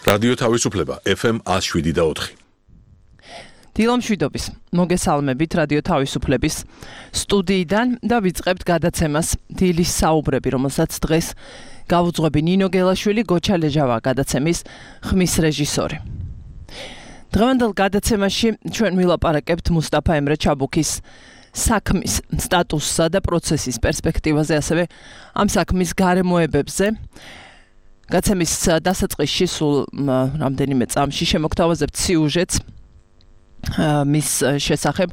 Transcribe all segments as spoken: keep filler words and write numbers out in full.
რადიო თავისუფლება ეფ ემ one oh seven და four. დილამშვიდობის მოგესალმებით რადიო თავისუფლების სტუდიიდან და ვიწყებთ გადაცემას დილის საუბრები, რომელსაც დღეს გავუძღვები ნინო გელაშვილი, გოჩა ლეჟავა გადაცემის ხმის რეჟისორი. დღევანდელ გადაცემაში ჩვენ ვილაპარაკებთ მუსტაფა ემრე ჩაბუქის საქმის სტატუსსა და პროცესის პერსპექტივაზე, ასევე ამ საქმის გარემოებებზე. Გაცემის დასაწყისში სულ რამდენიმე წამში შემოგთავაზებთ სიუჟეტს მის შესახებ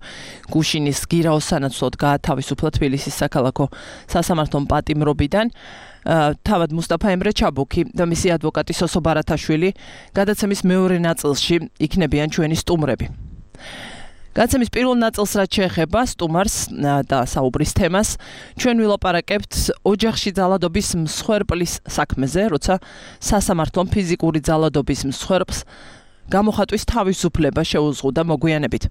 გუშინის გირაოს სანაცვლოდ გაათავისუფლა თბილისის საქალაქო სასამართლომ პატიმრობიდან თავად მუსტაფა ემრე ჩაბუქი და მისი ადვოკატი სოსო ბარათაშვილი გადაცემის მეორე ნაწილში იქნებიან ჩვენი სტუმრები. Გადაცემის პირველ ნაწილს რაც შეეხება სტუმარს და საუბრის თემას, ჩვენ ვილაპარაკებთ ოჯახში ძალადობის მსხვერპლის საქმეზე, როცა სასამართლომ ფიზიკური ძალადობის მსხვერპლს გამოხატვის თავისუფლება შეუზღუდა მოგვიანებით.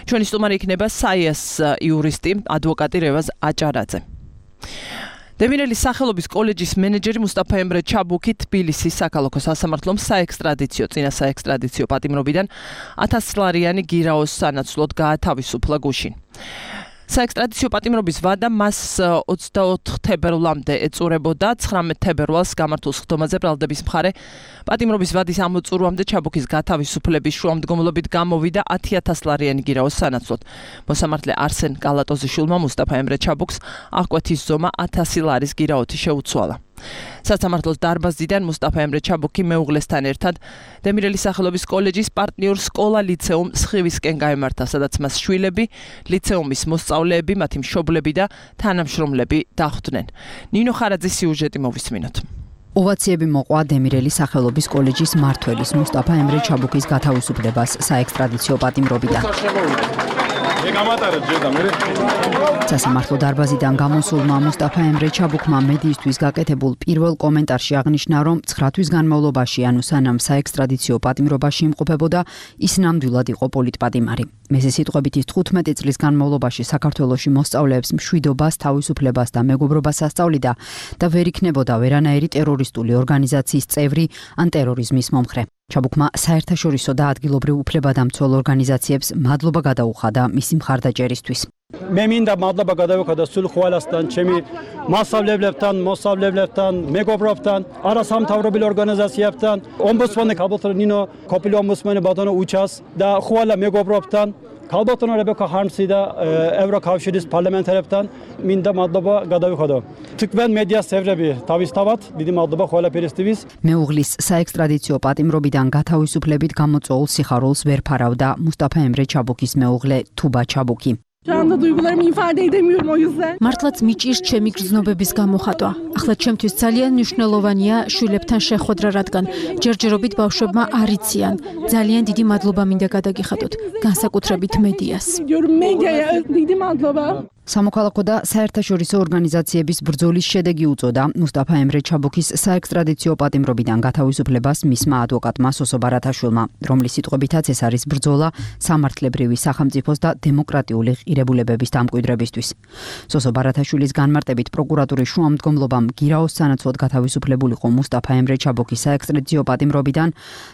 ჩვენი სტუმარი იქნება საიას იურისტი, ადვოკატი რევაზ აჭარაძე. დემინელის სახელობის კოლეჯის მენეჯერი მუსტაფა ემრე ჩაბუქი თბილისის საქალაქო სასამართლომ საექსტრადიციო წინა საექსტრადიციო პატიმრობიდან ათას ლარიანი გირაოს სანაცვლოდ გაათავისუფლა გუშინ. საექსტრადიციო პატიმრობის ვადა მას ოცდაოთხ თებერვლამდე ეწურებოდა, ცხრამეტ თებერვალს გამართულ სხდომაზე ბრალდების მხარე პატიმრობის ვადის ამოწურვამდე ჩაბუქის გათავისუფლების შუამდგომლობით გამოვიდა ათი ათას ლარიანი გირაოს სანაცვლოდ. მოსამართლე არსენ კალატოზიშვილმა მუსტაფა ემრე ჩაბუქს აღკვეთის ზომა ათასი ლარის გირაოთი შეუცვალა. სასამართლოს დარბაზიდან მუსტაფა ემრე ჩაბუქი მეუღლესთან ერთად დემინელის სახელობის კოლეჯის პარტნიორ სკოლა ლიცეუმ სხივისკენ გაემართა, სადაც მას შვილები, ლიცეუმის მოსწავლეები, მათი მშობლები და თანამშრომლები დახვდნენ. ნინო ხარაძის სიუჟეტი მოვისმინოთ. ოვაციები მოყვა დემირელის სახელობის კოლეჯის მმართველის მუსტაფა ემრე ჩაბუქის გათავისუფლებას საექსტრადიციო პატიმრობიდან. სასამართლო დარბაზიდან გამოსულმა მუსტაფა ემრე ჩაბუქმა მედიისთვის გაკეთებულ პირველ კომენტარში აღნიშნა, რომ ცხრა თვის განმავლობაში, ანუ სანამ საექსტრადიციო პატიმრობაში იმყოფებოდა, ის ნამდვილად იყო პოლიტპატიმარი. მესე სიტყვებით ის თხუთმეტი წლის განმავლობაში საქართველოში მოსწავლეებს მშვიდობას, თავისუფლებას და მეგობრობას ასწავლიდა და ვერ იქნებოდა ვერანაირი ტერორისტული ორგანიზაციის წევრი ან ტერორიზმის მომხრე. ჩაბუქმა საერთაშორისო და ადგილობრივ უფლებადამცველ ორგანიზაციებს მადლობა გადაუხადა მისი მხარდაჭერისთვის. მე მინდა მადლობა გადავუხადო სულ ყველასთან, ჩემი მასწავლებლებთან, მოსწავლეებთან, მეგობრებთან, არასამთავრობო ორგანიზაციებთან, ომბუდსმენი ქალბატონო ნინო, ყოფილი ომბუდსმენი ბატონო უჩას და ყველა მეგობრებთან, ქალბატონო რებეკა ჰარმსი და ევროკავშირის პარლამენტარებთან მინდა მადლობა გადავუხადო. თქვენ მედიას წევრები თავისთავად დიდი მადლობა ყველაფერისთვის. მეუღლის საექსტრადიციო პატიმრობიდან გათავისუფლებით გამოწვეულ სიხარულს ვერ ფარავდა მუსტაფა ემრე ჩაბუქის მეუღლე თუბა ჩაბუქი. მართლაც მიჭირს ჩემი გრძნობების გამოხატვა. ახლა ჩემთვის ძალიან მნიშვნელოვანია შვილებთან შეხვედრა, რადგან ჯერჯერობით ბავშვებმა არ იციან. ძალიან დიდი მადლობა მინდა გადაგიხადოთ, განსაკუთრებით მედიას. დიდი მადლობა. სამოქალაქო და საერთაშორისო ორგანიზაციების ბრძოლის შედეგი უწოდა მუსტაფა ემრე ჩაბუქის საექსტრადიციო პატიმრობიდან გათავისუფლებას მისმა ადვოკატმა სოსო ბარათაშვილმა, რომლის სიტყვებითაც ეს არის ბრძოლა სამართლებრივი სახელმწიფოს და დემოკრატიული ღირებულებების დამკვიდრებისთვის. სოსო ბარათაშვილის განმარტებით პროკურატურის შუამდგომლობამ გირაოს სანაცვლოდ გათავისუფლებულიყო მუსტაფა ემრე ჩაბუქის საექსტრადიციო პატიმრობიდან,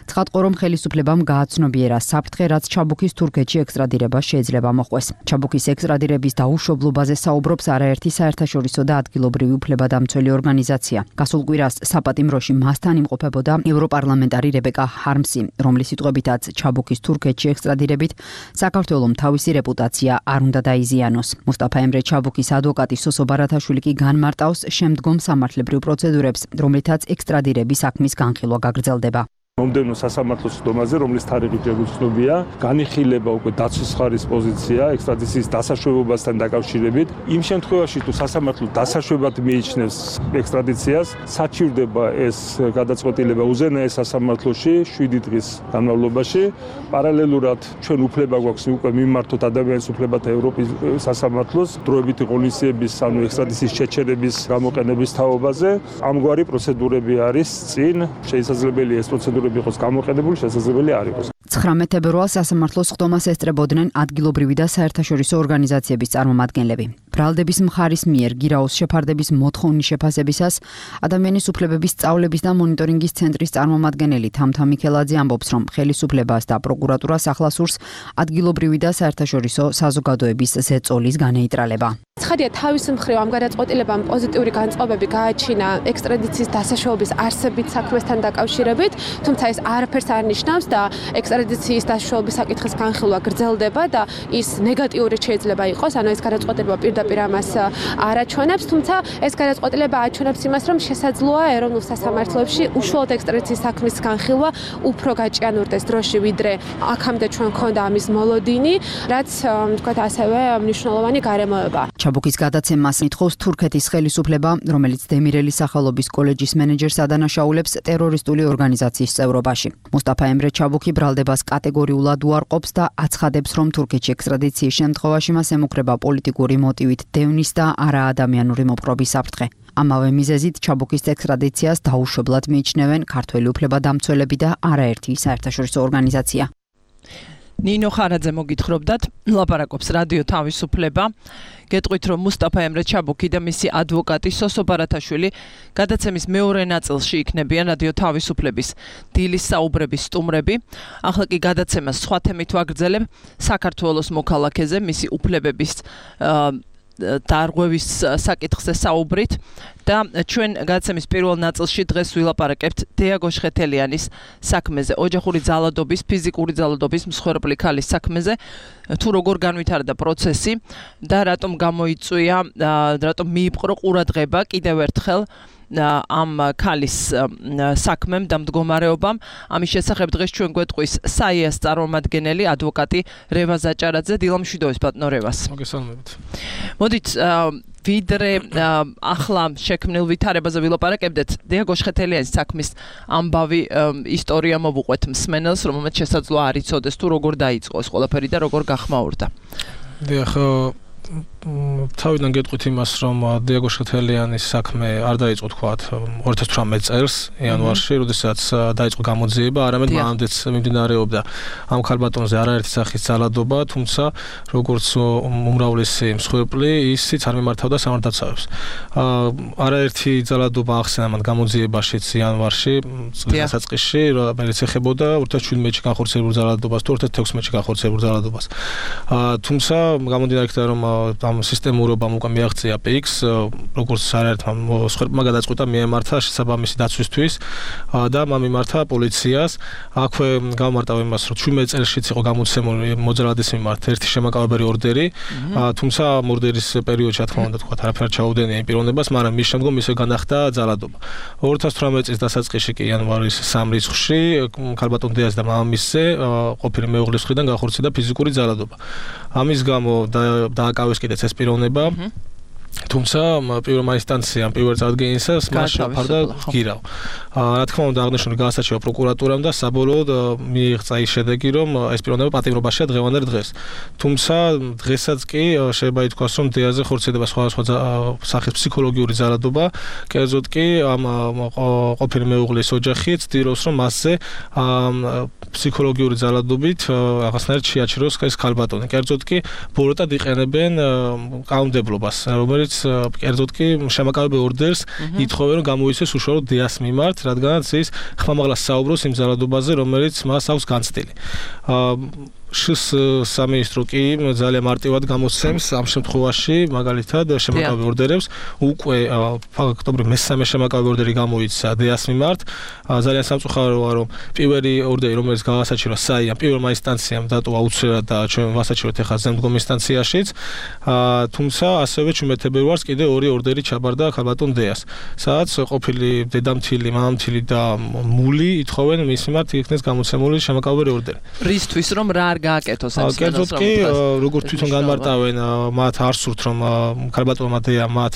ცხადყო რომ ხელისუფლებამ გააცნობიერა საფრთხე, რაც ჩაბუქის თურქეთში ექსტრადირება შეიძლება მოხდეს. ჩაბუქის ექსტრადირების დაუშვებლობაზე საუბრობს არაერთი საერთაშორისო და ადგილობრივი უფლებადამცველი ორგანიზაცია. გასულ კვირას საპატიმროში მასთან იმყოფებოდა ევროპარლამენტარი რებეკა ჰარმსი, რომლის სიტყვებითაც ჩაბუქის თურქეთში ექსტრადირებით საქართველოს თავისი რეპუტაცია არ უნდა დაიზიანოს. მუსტაფა ემრე ჩაბუქის ადვოკატი სოსო ბარათაშვილი კი განმარტავს შემდგომ სამართლებრივ პროცედურებს, რომლითაც ექსტრადირების საქმის განხილვა გაგრძელდება. მომდევნო სასამართლო სხდომაზე, რომლის თარიღი შეგვიცნობია, განიხილება უკვე დაცვის მხარის პოზიცია ექსტრადიციის დასაშვებობასთან დაკავშირებით. იმ შემთხვევაში, თუ სასამართლო დასაშვებად მიიჩნევს ექსტრადიციას, საჩივრდება ეს გადაწყვეტილება უზენაეს სასამართლოში შვიდი დღის განმავლობაში. პარალელურად ჩვენ უფლება გვაქვს უკვე მიმართოთ ადამიანის უფლებათა ევროპის სასამართლოს დროებითი ღონისძიების, ანუ ექსტრადიციის შეჩერების გამოყენების თაობაზე. ამგვარი პროცედურები არის წინ, შესაძლებელია ეს პროცედურები საშუალება იყოს გამოყენებული, შესაძლებელი არ იყოს. ცხრამეტ თებერვალს სასამართლოს ხდომას ესწრებოდნენ ადგილობრივი და საერთაშორისო ორგანიზაციების წარმომადგენლები. ბრალდების მხარის მიერ გირაოს შეფარდების მოთხოვნის შეფასებისას ადამიანის უფლებების სწავლების და მონიტორინგის ცენტრის წარმომადგენელი თამთა მიქელაძე ამბობს, რომ ხელისუფლებას და პროკურატურას ახლასურს ადგილობრივი და საერთაშორისო საზოგადოების ზეწოლის განეიტრალება. ცხადია, თავის მხრივ ამ გადაწყვეტილებამ პოზიტიური განწყობები გააჩინა ექსტრადიციის დასაშოობის არსებით საქმესთან დაკავშირებით, თუმცა ეს არაფერს არ ნიშნავს და ექსტრადიციის დასაშოობის საკითხის განხილვა გრძელდება და ის ნეგატიური შეიძლება იყოს, ანუ ეს გადაწყვეტილება პირდაპირ ამას არ აჩვენებს, თუმცა ეს გადაწყვეტილება აჩვენებს იმას, რომ შესაძლოა ეროვნულ სასამართლოებში უშუალოდ ექსტრადიციის საქმის განხილვა უფრო გაჭიანურდეს დროში, ვიდრე აქამდე ჩვენ გქონდა ამის მოლოდინი, რაც თქვათ ასევე მნიშვნელოვანი გარემოება. ჩაბუქის გადაცემას მითხოვს თურქეთის ხელისუფლება, რომელიც დემირელის სახელობის კოლეჯის მენეჯერს ადანაშაულებს ტერორისტული ორგანიზაციის წევრობაში. მუსტაფა ემრე ჩაბუქი ბრალდებას კატეგორიულად უარყოფს და აცხადებს, რომ თურქეთში ექსტრადიციის შემთხვევაში მას ემუქრება პოლიტიკური მოტივით დევნის და არაადამიანური მოპყრობის საფრთხე. ამავე მიზეზით ჩაბუქის ექსტრადიციას დაუშვებლად მიიჩნევენ ქართველი უფლებადამცველები და არაერთი საერთაშორისო ორგანიზაცია. ნინო ხარაძე მოგითხრობდათ, ლაპარაკობს რადიო თავისუფლება. გეტყვით, რომ მუსტაფა ემრე ჩაბუქი და მისი ადვოკატი სოსო ბარათაშვილი გადაცემის მეორე ნაწილში იქნებიან რადიო თავისუფლების დილის საუბრების სტუმრები. ახლა კი გადაცემას სხვა თემით ვაგრძელებ, საქართველოს მოქალაქეზე, მისი უფლებების დარღვევის საკითხზე საუბრით და ჩვენ გადაცემის პირველ ნაწილში დღეს ვილაპარაკებთ დიაგო შხეთელიანის საქმეზე, ოჯახური ძალადობის, ფიზიკური ძალადობის მსხვერპლი ქალის საქმეზე, თუ როგორ განვითარდა პროცესი და რატომ გამოიწვია, რატომ მიიპყრო ყურადღება კიდევ ერთხელ ამ ქალის საქმემ და მდგომარეობამ. ამის შესახებ დღეს ჩვენ გვეტყვის საიას წარმომადგენელი ადვოკატი რევაზ აჭარაძე. დილამშვიდობის ბატონო რევას. მოგესალმებით. მოდით ვიდრე ახლა შექმნილ ვითარებაზე ვილაპარაკებდეთ, დიაგო შხეთელიანის საქმის ამბავი ისტორია მოვუყვეთ მსმენელს, რომელმაც შესაძლოა არ იცოდეს თუ როგორ დაიწყო ეს ყველაფერი და როგორ გახმაურდა. დიახ, თავიდან გეტყვით იმას, რომ დიაგო შხეთელიანის საქმე არ დაიწყო თქვათ ორი ათას თვრამეტ წელს იანვარში, როდესაც დაიწყო გამოძიება, არამედ მანამდეც მიმდინარეობდა ამ ქალბატონზე არაერთი სახის ძალადობა, თუმცა როგორც უმრავლესი მსხვერპლი, ისიც არ მიმართავდა სამართალდაცავებს. არაერთი ძალადობა ახსენა მან გამოძიებაშიც იანვარში, წლის დასაწყისში, რომელიც ეხებოდა ორი ათას შვიდმეტში განხორციელებულ ძალადობას თუ ორი ათას თექვსმეტში განხორციელებულ ძალადობას. თუმცა გამომდინარე იქიდან, რომ ამ სისტემურობამ უკვე მიაღწია პიქს, როგორც არაერთმა მსხვერპლმა გადაწყვიტა მიემართა შესაბამისი დაცვისთვის და მან მიმართა პოლიციას. აქვე გამარტავ იმას, რომ შვიდმეტ წელშიც იყო გამოცემული მოძრაობის მიმართ ერთი შემაკავებელი ორდერი, თუმცა ორდერის პერიოდში, რა თქმა უნდა, თქვა არაფერ ჩაუდენია იმ პიროვნებას, მაგრამ მის შემდგომ ისე განახდა ძალადობა. ორი ათას თვრამეტ წლის დასაწყისში კი იანვარის სამი რიცხვში ქალბატონ დიას და მამამისზე ყოფილი მეუღლის მხრიდან განხორციელდა ფიზიკური ძალადობა. ამის გამო დააკავეს კიდეც ეს პიროვნება. თუმცა პირველმა ინსტანციამ პირველ წარდგენისას მას შეაფარდა გირავ. რა თქმა უნდა აღნიშნული გაასაჩივა პროკურატურამ და საბოლოოდ მიიღწა ის შედეგი, რომ ეს პიროვნება პატიმრობაშია დღევანდელ დღეს. თუმცა დღესაც კი შეიძლება ითქვას, რომ დიაზე ხორციელდება სხვადასხვა სახის ფსიქოლოგიური ძალადობა, კერძოდ კი ამ ყოფილი მეუღლის ოჯახი ცდილობს, რომ მასზე ფსიქოლოგიური ძალადობით რაღაცნაირად შეაჩეროს ეს ქალბატონი. კერძოდ კი ბოროტად იყენებენ კანონმდებლობას, რომელიც კერძოდ კი შემაკავებელ ორდერს ითხოვენ, რომ გამოიცეს უშუალოდ დიას მიმართ, რადგანაც ის ხმამაღლას საუბრობს იმ ძალადობაზე, რომელიც მას აქვს განცდილი. შს სამინისტრო კი ძალიან მარტივად გამოსცემს ამ შემთხვევაში, მაგალითად შემაკავებელ ორდერებს, უკვე ფაქტობრივ მესამე შემაკავებელ ორდერი გამოიცა დიას მიმართ. ძალიან სამწუხაროა, რომ პირველი ორდერი, რომელიც გაასაჩივრა საიამ, პირველმა ინსტანციამ დატოვა აუცილებლად და ჩვენ ვასაჩივრეთ ახლა ზემდგომ ინსტანციაშიც, თუმცა ასევე შვიდმეტ თებერვალს კიდე ორი ორდერი ჩაბარდა ქალბატონ დიას, სადაც ყოფილი დედამთილი, მამამთილი და მული ითხოვენ მის მიმართ იქნეს გამოცემული შემაკავებელი ორდერი. რისთვის რომ რა არ გააკეთოს ეს კერძოდ კი როგორც თვითონ განმარტავენ მათ არ სურთ რომ ქალბატონმა დეა მათ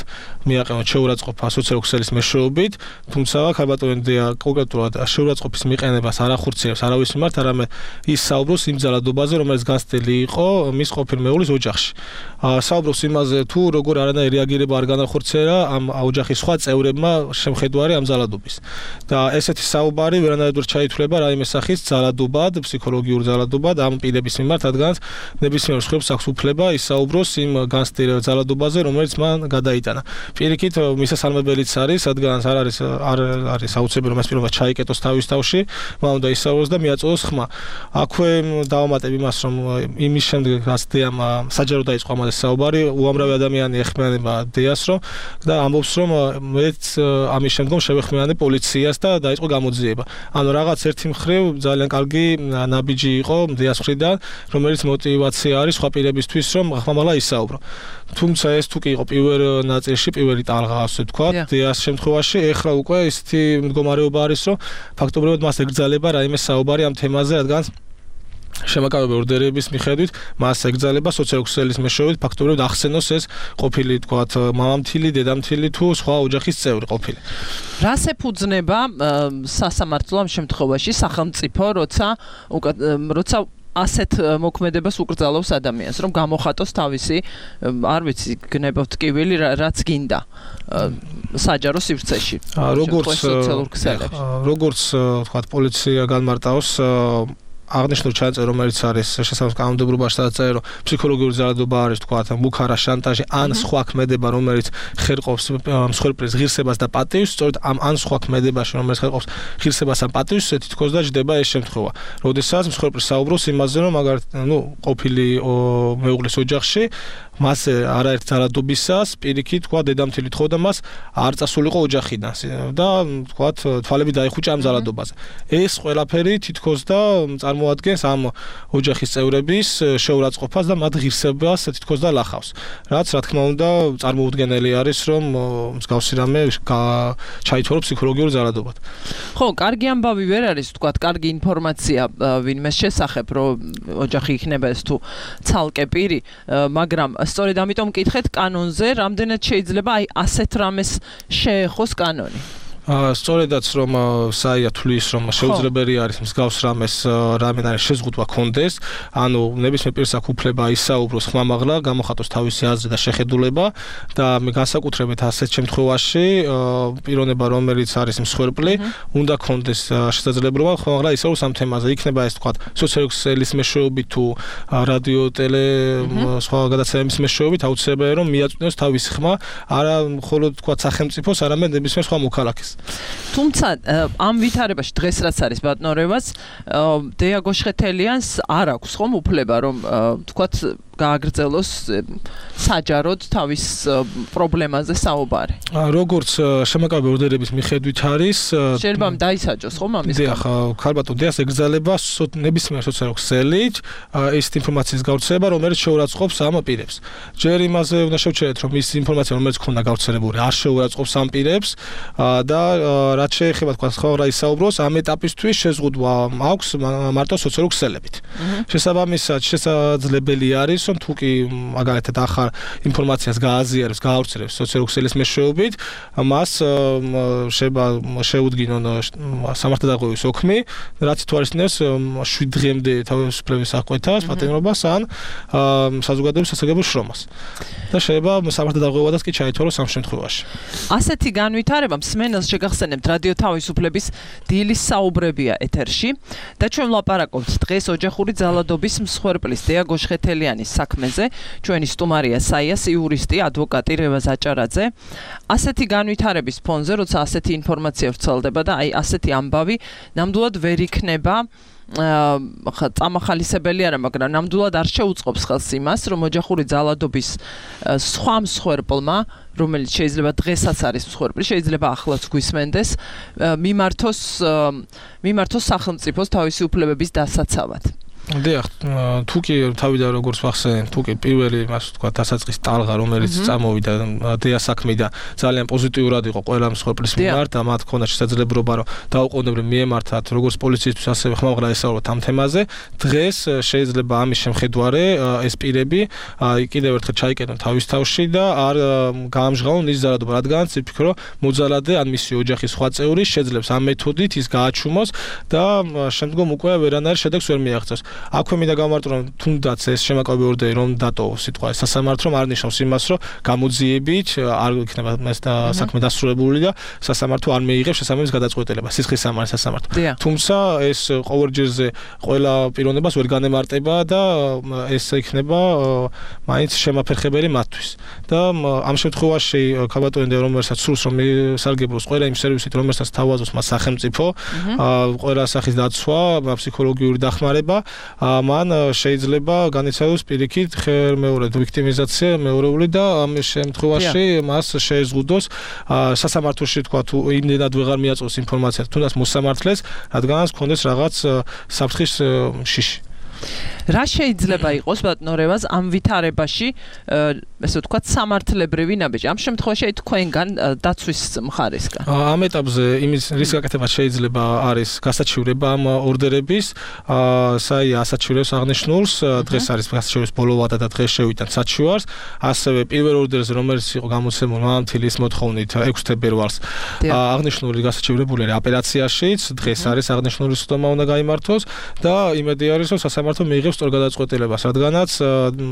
მიაყენონ შეურაცხყოფა სოციალურ-ქსელის მეშვეობით, თუმცა ქალბატონი დეა კონკრეტულად შეურაცხყოფის მიყენებას არ ახორციელებს არავის მიმართ, არამედ ის საუბრობს იმ ძალადობაზე, რომელიც განცდილი იყო მის ყოფილ მეუღლის ოჯახში. საუბრობს იმაზე თუ როგორ არანაირი რეაგირება არ განახორციელა ამ ოჯახის სხვა წევრებმა შემხედვარი ამ ძალადობის. და ესეთი საუბარი ვერანაირად ვერ ჩაითვლება რაიმე სახის ძალადობად, ფსიქოლოგიურ ძალადობად ამ პირების მიმართ, რადგან ნებისმიერ მსხვერპლს აქვს უფლება ისაუბროს იმ განცდილ ძალადობაზე, რომელიც მან გადაიტანა. პირიქით მისასალმებელიც არის, რადგან არ არის არ არის აუცილებელი რომ ეს პირობა ჩაიკეტოს თავის თავში, მან უნდა ისაუბროს და მიაწოდოს ხმა. აქვე დავამატებ იმას, რომ იმის შემდეგ რაც დეამ საჯარო დაიწყო ამაზე საუბარი, უამრავი ადამიანი ეხმიანება დეას რომ და ამბობს რომ მეც ამის შემდგომ შევეხმიანე პოლიციას და დაიწყო გამოძიება. ანუ რაღაც ერთი მხრივ ძალიან კარგი ნაბიჯი იყო დეას მხრიდან, რომელიც мотивация არის სხვა პირებისთვის რომ ხმამაღლა ისაუბრო. თუმცა ეს თუ კი იყო პირველ ნაწილში, პირველი ტალღა ასე ვთქვათ, დეას შემთხვევაში ეხლა უკვე ისეთი მდგომარეობა არის, რომ ფაქტობრივად მას ეკრძალება რაიმე საუბარი ამ თემაზე, რადგან შემაკავებელ ორდერების მიხედვით მას ეკრძალება სოციალურ-ქსელის მეშვეობით ფაქტობრივად ახსენოს ეს ყოფილი თქვათ მამამთილი, დედამთილი თუ სხვა ოჯახის წევრი ყოფილი. რას ეფუძნება სასამართლო ამ შემთხვევაში სახელმწიფო, როცა როცა ასეთ მოქმედებას უკრძალავს ადამიანს, რომ გამოხატოს თავისი, არ ვიცი, გნებავთ ტკივილი, რაც გინდა საჯარო სივრცეში. როგორც როგორც თქვათ პოლიცია განმარტავს აღნიშნულ ჩანაწერი, რომელიც არის შესაბამის კანონმდებლობაში დაწერილი, რომ ფსიქოლოგიური ძალადობა არის, თქვათ, მუქარა, შანტაჟი, ან სხვა ქმედება, რომელიც ხერყობს მსხვერპლის ღირსებას და პატივს, სწორედ ამ ან სხვა ქმედებაში, რომელიც ხერყობს ღირსებას ან პატივს, თითქოს და ჯდება ეს შემთხვევა. როდესაც მსხვერპლი საუბრობს იმაზე, რომ მაგალითად, ნუ, ყოფილი მეუღლის ოჯახში მასე არაერთ ძალადობისას პირიქით, თქვა, დედამთილი თხოვდა მას არ წასულიყო ოჯახიდან და თქვა, თვალები დაიხუჭა ამ ძალადობაზე. ეს ყველაფერი თითქოს და წარმოადგენს ამ ოჯახის წევრების შეურაცხყოფას და მათ ღირსებას თითქოს და ლახავს. რაც რა თქმა უნდა წარმოუდგენელი არის, რომ მსგავსი რამე ჩაითვალო ფსიქოლოგიურ ძალადობად. ხო, კარგი ამბავი ვერ არის, თქვა, კარგი ინფორმაცია ვინმეს შესახებ, რომ ოჯახი იქნება ეს თუ ცალკე პირი, მაგრამ სწორედ ამიტომ მკითხეთ კანონზე, რამდენად შეიძლება აი ასეთ რამეს შეეხოს კანონი. სწორედაც რომ საია თulis რომ შეუძლებელი არის მსგავს რამეს რამენაირი შეზღუდვა კონდეს, ანუ ნებისმიერ პირს აქვს უფლება ისაუბროს ხმამაღლა, გამოხატოს თავისი აზრი და შეხედულება და განსაკუთრებით ასეთ შემთხვევაში პიროვნება რომელიც არის მსხვერპლი, უნდა კონდეს შესაძლებლობა ხმამაღლა ისაუბროს ამ თემაზე. იქნება ეს თქვა სოციალურ-ქსელის მეშვეობით თუ რადიო, ტელე, სხვა გადაცემების მეშვეობით აუცილებელია რომ მიაწვდოს თავისი ხმა, არა მხოლოდ თქვა სახელმწიფოს, არამედ ნებისმიერ სხვა მოქალაქეს. თუმცა ამ ვითარებაში დღეს რაც არის ბატონორევაც დეა გოშხეთელიანს არ აქვს ხომ უფლება რომ თქვათ გააგრძელოს საჯაროდ თავის პრობლემაზე საუბარი. როგორც შემაკავებელ ორდერების მიხედვით არის შეიძლება დაისაჯოს ხომ ამის გამო. დიახ, ქალბატონ დეას ეკრძალება ნებისმიერ სოციალურ-ქსელით ის ინფორმაციის გავრცელება, რომელიც შეურაცხყოფს ამ პირებს. ჯერ იმაზე უნდა შევჩერეთ, რომ ის ინფორმაცია, რომელიც ქონდა გავრცელებული, არ შეურაცხყოფს ამ პირებს და რაც შეეხება თქვა სხვა ისაუბროს, ამ ეტაპისთვის შეზღუდვა აქვს მარტო სოციალურ-ქსელებით. შესაბამისად, შესაძლებელი არის რომ თუ კი მაგალითად ახალ ინფორმაციას გააზიარებს, გაავრცელებს სოციალურ-ქსელის მეშვეობით, მას შეიძლება შეუდგინონ სამართალდაღუპვის ოქმი, რაც ითვალისწინებს შვიდ დღემდე თავისუფლების აღკვეთას, პატიმრობას ან საზოგადოების სასარგებლო შრომას. და შეიძლება სამართალდაღუპვადაც კი ჩაითვალოს ამ შემთხვევაში. ასეთი განვითარება მსმენელს შეგახსენებთ რადიო თავისუფლების დილის საუბრებია ეთერში და ჩვენ ვლაპარაკობთ დღეს ოჯახური ძალადობის მსხვერპლის დეა გოშხეთელიანის საქმეზე. ჩვენი სტუმარია საიას იურისტი, ადვოკატი რევაზ აჭარაძე. ასეთი განვითარების ფონზე, როცა ასეთი ინფორმაცია ვრცელდება და აი ასეთი ამბავი ნამდვილად ვერ იქნება ხა წამახალისებელი არა, მაგრამ ნამდვილად არ შეუწყობს ხელს იმას, რომ ოჯახური ძალადობის სხვა მსხვერპლმა, რომელიც შეიძლება დღესაც არის მსხვერპლი, შეიძლება ახლაც გვისმენდეს, მიმართოს მიმართოს სახელმწიფოს თავისი უფლებების დასაცავად. დიახ, თუ კი თავიდან როგორც ვახსენე, თუ კი პირველი მას თქვა დასაწყის ტალღა, რომელიც წამოვიდა დეა საქმიდან, ძალიან პოზიტიურად იყო ყველა მსხვერპლის მიმართ და მათ ქონდა შესაძლებლობა რომ დაუყოვნებლივ მიემართათ როგორც პოლიციისთვის, ასევე ხმამაღლა ესაუბროთ ამ თემაზე. დღეს შეიძლება ამის შემხედვარე ეს პირები კიდევ ერთხელ ჩაიკეტონ თავის თავში და არ გაამჟღავნონ ის ზარადობა, რადგანაც ვფიქრობ, მოძალადე ან მისი ოჯახის სხვა წევრი შეძლებს ამ მეთოდით ის გააჩუმოს და შემდგომ უკვე ვერანაირ შედეგს ვერ მიაღწევს. აქვე მინდა გამარტო რომ თუნდაც ეს შემაკავებელ ორდერი რომ დატოვოს სიტყვა სასამართლომ არ ნიშნავს იმას რომ გამოძიებით არ იქნება ეს საქმე დასრულებული და სასამართლო არ მიიღებს შესაბამის გადაწყვეტილებას სისხლის სამართლის სასამართლო. თუმცა ეს ყოველჯერზე ყველა პიროვნებას ვერ განემარტება და ეს იქნება მაინც შემაფერხებელი მათთვის. და ამ შემთხვევაში ქალბატონი რომელსაც სურს რომ სარგებლოს ყველა იმ სერვისით რომელსაც თავაზობს მას სახელმწიფო, ყველა სახის დაცვა, ფსიქოლოგიური დახმარება მან შეიძლება განიცადოს პირიქით ხელმეორედ ვიქტიმიზაცია მეორეული და ამ შემთხვევაში მას შეეზღუდოს სასამართლოში თქვა თუ იმდენად ვეღარ მიაწვევს ინფორმაციას თუნდაც მოსამართლეს რადგანაც ქონდეს რაღაც საფრთხის შიში. რა შეიძლება იყოს ბატონორევას ამ ვითარებაში ესე ვთქვათ სამართლებრივი ნაბიჯი ამ შემთხვევაში თქვენგან დაცვის მხარისგან ამ ეტაპზე იმის რის გაკეთება შეიძლება არის გასაჩივრება ამ ორდერების საია ასაჩივრებს აღნიშნულს დღეს არის გასაჩივრების ბოლო ვადა და დღეს შევიტანთ საჩივარს ასევე პირველ ორდერზე რომელიც იყო გამოცემული მამამთილის მოთხოვნით ექვსი თებერვალს აღნიშნული გასაჩივრებული არის აპელაციაშიც დღეს არის აღნიშნული სხდომა უნდა გაიმართოს და იმედი არის რომ სასამართლო მიიღებს სწორ გადაწყვეტილებას, რადგანაც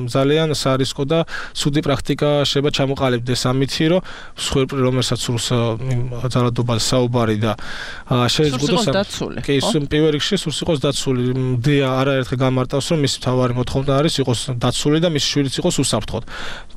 ძალიან სარისკო და ცუდი პრაქტიკა შეიძლება ჩამოყალიბდეს ამითი, რომ მსხვერპლი რომელსაც სურს ძალადობაზე საუბარი და შეეზღუდოს კი პირველ რიგში სურს იყოს დაცული. დეა არაერთხელ გამარტავს, რომ მისი მთავარი მოთხოვნა არის იყოს დაცული და მისი შვილიც იყოს უსაფრთხოდ.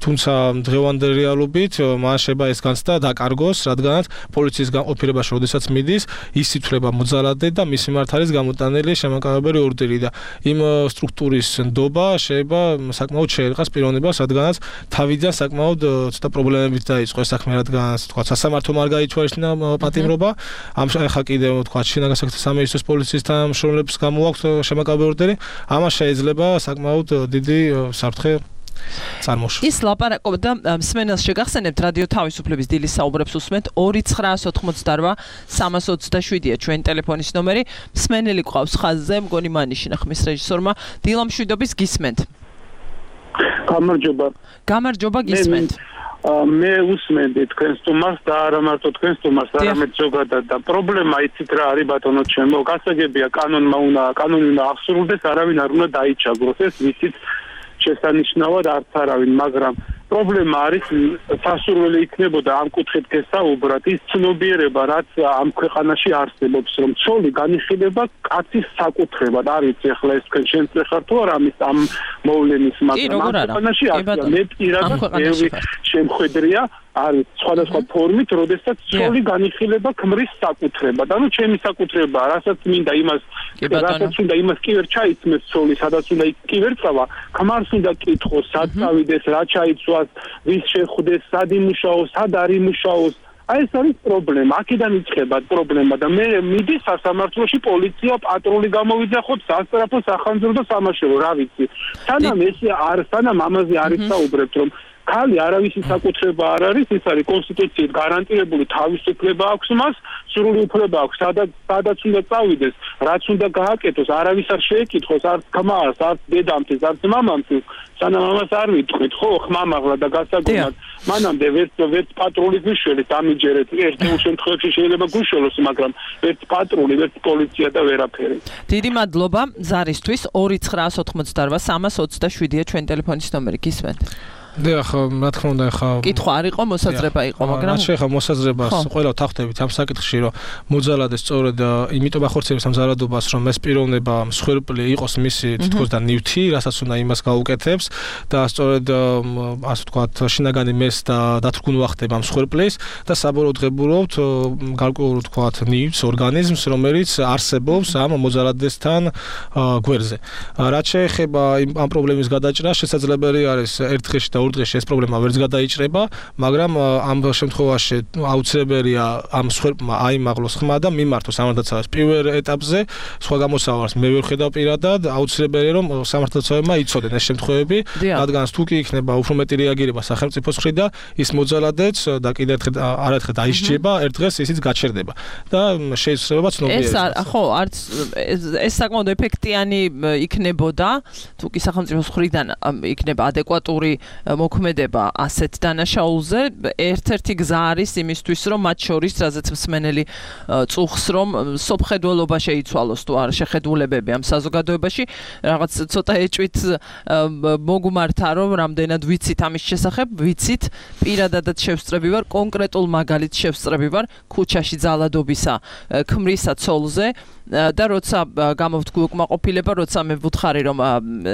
თუმცა დღევანდელი რეალობით მან შეიძლება ეს განცდა დაკარგოს, რადგანაც პოლიციის განყოფილებაში როდესაც მიდის, ის ითვლება მოძალადე და მის მიმართ არის გამოტანილი შემაკავებელი ორდერი და იმ სტრუქტურის ნდობა შეიძლება საკმაოდ შეერყას პიროვნებას, რადგანაც თავიდან საკმაოდ ცოტა პრობლემებით დაიწყო ეს საქმე, რადგანაც თქვა სასამართლომ არ გაითვალისწინა პატიმრობა. ამ ხა კიდევ თქვა შინაგან საქმეთა სამინისტროს პოლიციის თანამშრომლებს გამოაქვთ შემაკავებელი ორდერი. ამას შეიძლება საკმაოდ დიდი საფრთხე წარმოშ. ის ლაპარაკობდა მსმენელს შეგახსენებთ რადიო თავისუფლების დილის საუბრებს უსმენთ ორი ცხრა ოცდაოთხმოცდარბა სამას ოცდაშვიდია ჩვენ ტელეფონის ნომერი. მსმენელი ყავს ხაზზე, მგონი მანიშინა ხმის რეჟისორმა. დილა მშვიდობის გისმენთ. გამარჯობა. გამარჯობა გისმენთ. მე უსმენდი თქვენს სტუმარს და არა მარტო თქვენს სტუმარს, არამედ ზოგადად და პრობლემა იცით რა არის ბატონო ჩემო, გასაგებია კანონმა უნდა კანონი უნდა აღსრულდეს, არავინ არ უნდა დაიჩაგროს, ეს ვიცით შესანიშნავად არც არავინ, მაგრამ პრობლემა არის სასურველი იქნებოდა ამ კუთხით გესაუბრათ ის ცნობიერება რაც ამ ქვეყანაში არსებობს რომ ცოლი განიხილება კაცის საკუთრებად არ ვიცი ახლა ეს თქვენ შემწეხარ თუ არა ამის ამ მოვლენის მაგრამ ამ ქვეყანაში არის მე პირადად ბევრი შემხედრია არის სხვადასხვა ფორმით როდესაც ცოლი განიხილება ქმრის საკუთრებად ანუ ჩემი საკუთრება რასაც მინდა იმას რასაც უნდა იმას კი ვერ ჩაიცმეს ცოლი სადაც უნდა კი ვერ წავა ქმარს უნდა კითხოს სად წავიდეს რა ჩაიცვა ვის შეხვდეს, სად იმუშაოს, სად არ იმუშაოს. აი ეს არის პრობლემა. აქედან იწყება პრობლემა და მე მიდი სასამართლოში პოლიცია პატრული გამოვიძახოთ, სასტრაფო, სახანძრო და სამაშველო, რა ვიცი. სანამ ეს არ სანამ ამაზე არ ისაუბრებთ, რომ ქალი არავისი საკუთრება არ არის, ის არის კონსტიტუციით გარანტირებული თავისუფლება აქვს მას, სრული უფლება აქვს, სადაც სადაც უნდა წავიდეს, რაც უნდა გააკეთოს, არავის არ შეეკითხოს, არც ქმარს, არც დედამთეს, არც მამამთეს, სანამ ამას არ ვიტყვით, ხო, ხმამაღლა და გასაგონად, მანამდე ვერც ვერც პატრული გვიშველით ამიჯერეთ, ერთ-ერთ შემთხვევაში შეიძლება გვიშველოს, მაგრამ ვერც პატრული, ვერც პოლიცია და ვერაფერი. დიდი მადლობა ზარისთვის ორი ცხრა ოცდაოთხმოცდარბა სამას ოცდაშვიდია ჩვენ ტელეფონის ნომერი გისმენთ. დიახ, რა თქმა უნდა, ხა კითხვა არ იყო, მოსაზრება იყო, მაგრამ შეიძლება მოსაზრებას ყველა თავხდებით ამ საკითხში, რომ მოძალადე სწორედ იმიტომ ახორციელებს ამ ძალადობას, რომ ეს პიროვნება მსხვერპლი იყოს მისი თითქოს და ნივთი, რასაც უნდა იმას გაუკეთებს და სწორედ ასე ვთქვათ, შინაგანი მეს და დათრგუნვა ხდება მსხვერპლის და საბოლოოდ ღებულობთ გარკვეულ ვთქვათ ნივთს, ორგანიზმს, რომელიც არსებობს ამ მოძალადესთან გვერდზე. რაც შეეხება ამ პრობლემის გადაჭრა, შესაძლებელი არის ერთ დღეში და ორ დღეში ეს პრობლემა ვერც გადაიჭრება, მაგრამ ამ შემთხვევაში აუცილებელია ამ სხვერპლმა აიმაღლოს ხმა და მიმართოს სამართალდაცვას პირველ ეტაპზე, სხვა გამოსავალს მე ვერ ხედავ პირადად, აუცილებელია რომ სამართალდაცვებმა იცოდენ ეს შემთხვევები, რადგან თუ კი იქნება უფრო მეტი რეაგირება სახელმწიფოს მხრიდან, ის მოძალადეც და კიდევ ერთხელ არაერთხელ დაისჯება, ერთ დღეს ისიც გაჩერდება და შეიძლება ცნობიერება. ეს ხო, არც ეს საკმაოდ ეფექტიანი იქნებოდა, თუ კი სახელმწიფოს მხრიდან იქნება ადეკვატური მოქმედება ასეთ დანაშაულზე, ერთ-ერთი გზა არის იმისთვის, რომ მათ შორის, რაზეც მსმენელი წუხს, რომ სოფხედველობა შეიცვალოს თუ არ შეხედულებები ამ საზოგადოებაში, რაღაც ცოტა ეჭვით მოგმართა, რომ რამდენად ვიცით ამის შესახებ, ვიცით, პირადადაც შევსწრები ვარ, კონკრეტულ მაგალითს შევსწრები ვარ ქუჩაში ძალადობისა ქმრისა ცოლზე და როცა გამოვთქვი უკმაყოფილება, როცა მე ვუთხარი რომ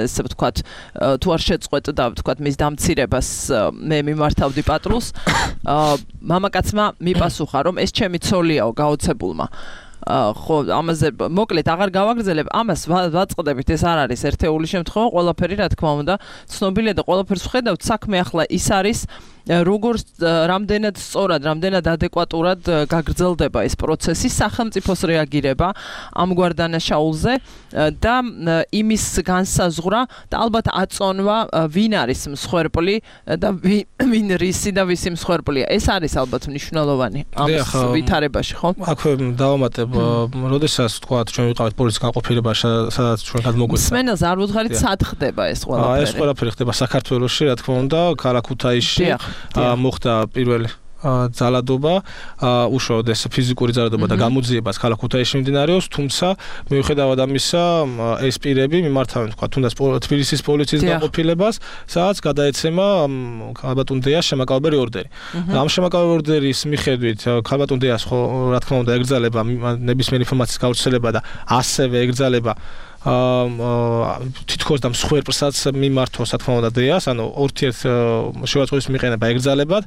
ესე ვთქვათ თუ არ შეწყვეტ და ვთქვათ მის დამცირებას მე მიმართავდი პატრულს, მამაკაცმა მიპასუხა რომ ეს ჩემი ცოლიაო გაოცებულმა. ხო, ამაზე მოკლედ აღარ გავაგრძელებ, ამას ვაწყდებით, ეს არ არის ერთეული შემთხვევა, ყველაფერი რა თქმა უნდა ცნობილია და ყველაფერს ვხედავთ, საქმე ახლა ის არის როგორ რამდენად სწორად, რამდენად ადეკვატურად გაგრძელდება ეს პროცესი, სახელმწიფოს რეაგირება ამგვარ დანაშაულზე და იმის განსაზღვრა და ალბათ აწონვა ვინ არის მსხვერპლი და ვინ რისი და ვისი მსხვერპლია. ეს არის ალბათ მნიშვნელოვანი ამ ვითარებაში, ხო? აქვე დავამატებ, როდესაც თქვა ჩვენ ვიყავით პოლიციის განყოფილებაში, სადაც ჩვენ გადმოგვეცა. მსმენელს არ ვუთხარით, სად ხდება ეს ყველაფერი? ეს ყველაფერი ხდება საქართველოში, რა თქმა უნდა, ქალაქ ქუთაისში. მოხდა პირველი ძალადობა, უშუალოდ ეს ფიზიკური ძალადობა და გამოძიებას ქალაქ ქუთაისში მიმდინარეობს, თუმცა მიუხედავად ამისა, ეს პირები მიმართავენ, თქვა, თუნდაც თბილისის პოლიციის განყოფილებას, სადაც გადაეცემა ქალბატონ დეას შემაკავებელი ორდერი. ამ შემაკავებელი ორდერის მიხედვით ქალბატონ დეას ხო, რა თქმა უნდა, ეკრძალება ნებისმიერი ინფორმაციის გავრცელება და ასევე ეკრძალება თითქოს და მსხვერპლსაც მიმართოს, რა თქმა უნდა, დეას, ანუ ორთიერთ შევაწყვეტის მიყენება ეკრძალებად.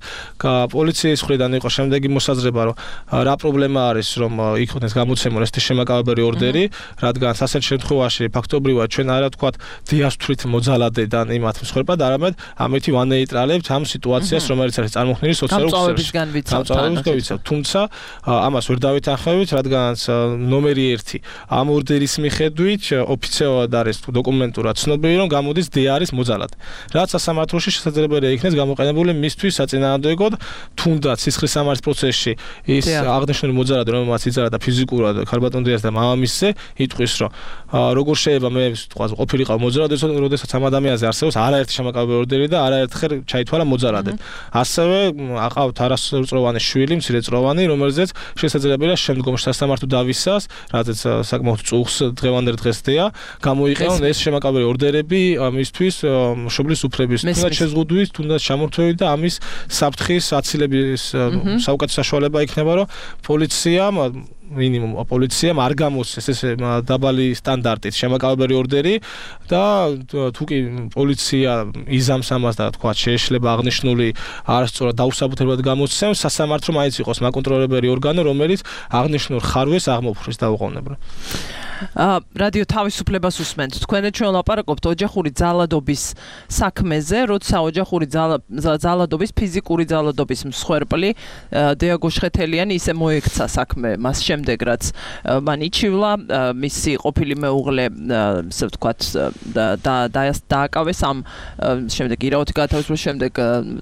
პოლიციის მხრიდან იყო შემდეგი მოსაზრება, რომ რა პრობლემა არის, რომ იქნეს გამოცემული ესეთი შემაკავებელი ორდერი, რადგან ასეთ შემთხვევაში ფაქტობრივად ჩვენ არა ვთქვათ დეას თვით მოძალადედან იმათ მსხვერპლად, არამედ ამით ვანეიტრალებთ ამ სიტუაციას, რომელიც არის წარმოქმნილი სოციალურ ქსელში. გამწვავებისგან, თუმცა ამას ვერ დავითანხმებით, რადგანაც ნომერი ერთი ამ ორდერის მიხედვით ოფიციალურად არის დოკუმენტურად ცნობილი, რომ გამოდის დეა არის მოძალადე. რაც სასამართლოში შესაძლებელია იქნეს გამოყენებული მისთვის საწინააღმდეგოდ, თუნდაც სისხლის სამართლის პროცესში ის აღნიშნული მოძალადე, რომელმაც იძალა ფიზიკურად ქალბატონ დეას და მამამისზე, იტყვის, რომ როგორ შეიძლება მე ვთქვა ყოფილიყავ მოძალადე, როდესაც ამ ადამიანზე არსებობს არაერთი შემაკავებელი ორდერი და არაერთხელ ჩაითვალა მოძალადე. ასევე აყავთ არასრულწლოვანი შვილი, მცირეწლოვანი, რომელზეც შესაძლებელია შემდგომში სასამართლო დავისას, რადგან საკმაოდ წუხს დღევანდელ დღეს გამოიყენონ ეს შემაკავებელი ორდერები მისთვის მშობლის უფლების თუნდაც შეზღუდვის, თუნდაც ჩამორთმევით და ამის საფრთხის აცილების საუკეთესო საშუალება იქნება, რომ პოლიციამ მინიმუმ პოლიციამ არ გამოსცეს ეს დაბალი სტანდარტით შემაკავებელი ორდერი და თუ კი პოლიცია იზამს ამას და თქვა შეეშლება აღნიშნული არასწორად დაუსაბუთებლად გამოსცემს, სასამართლო მაინც იყოს მაკონტროლებელი ორგანო, რომელიც აღნიშნულ ხარვეს აღმოფხრის დაუყოვნებლად. რადიო თავისუფლებას უსმენთ. თქვენ ჩვენ ლაპარაკობთ ოჯახური ძალადობის საქმეზე, როცა ოჯახური ძალადობის, ფიზიკური ძალადობის მსხვერპლი დეა გოშხეთელიანი ისე მოექცა საქმე მას შემდეგ, რაც მან იჩივლა, მისი ყოფილი მეუღლე, ასე ვთქვათ, და დააკავეს ამ შემდეგ ირაოთი გათავისუფლების შემდეგ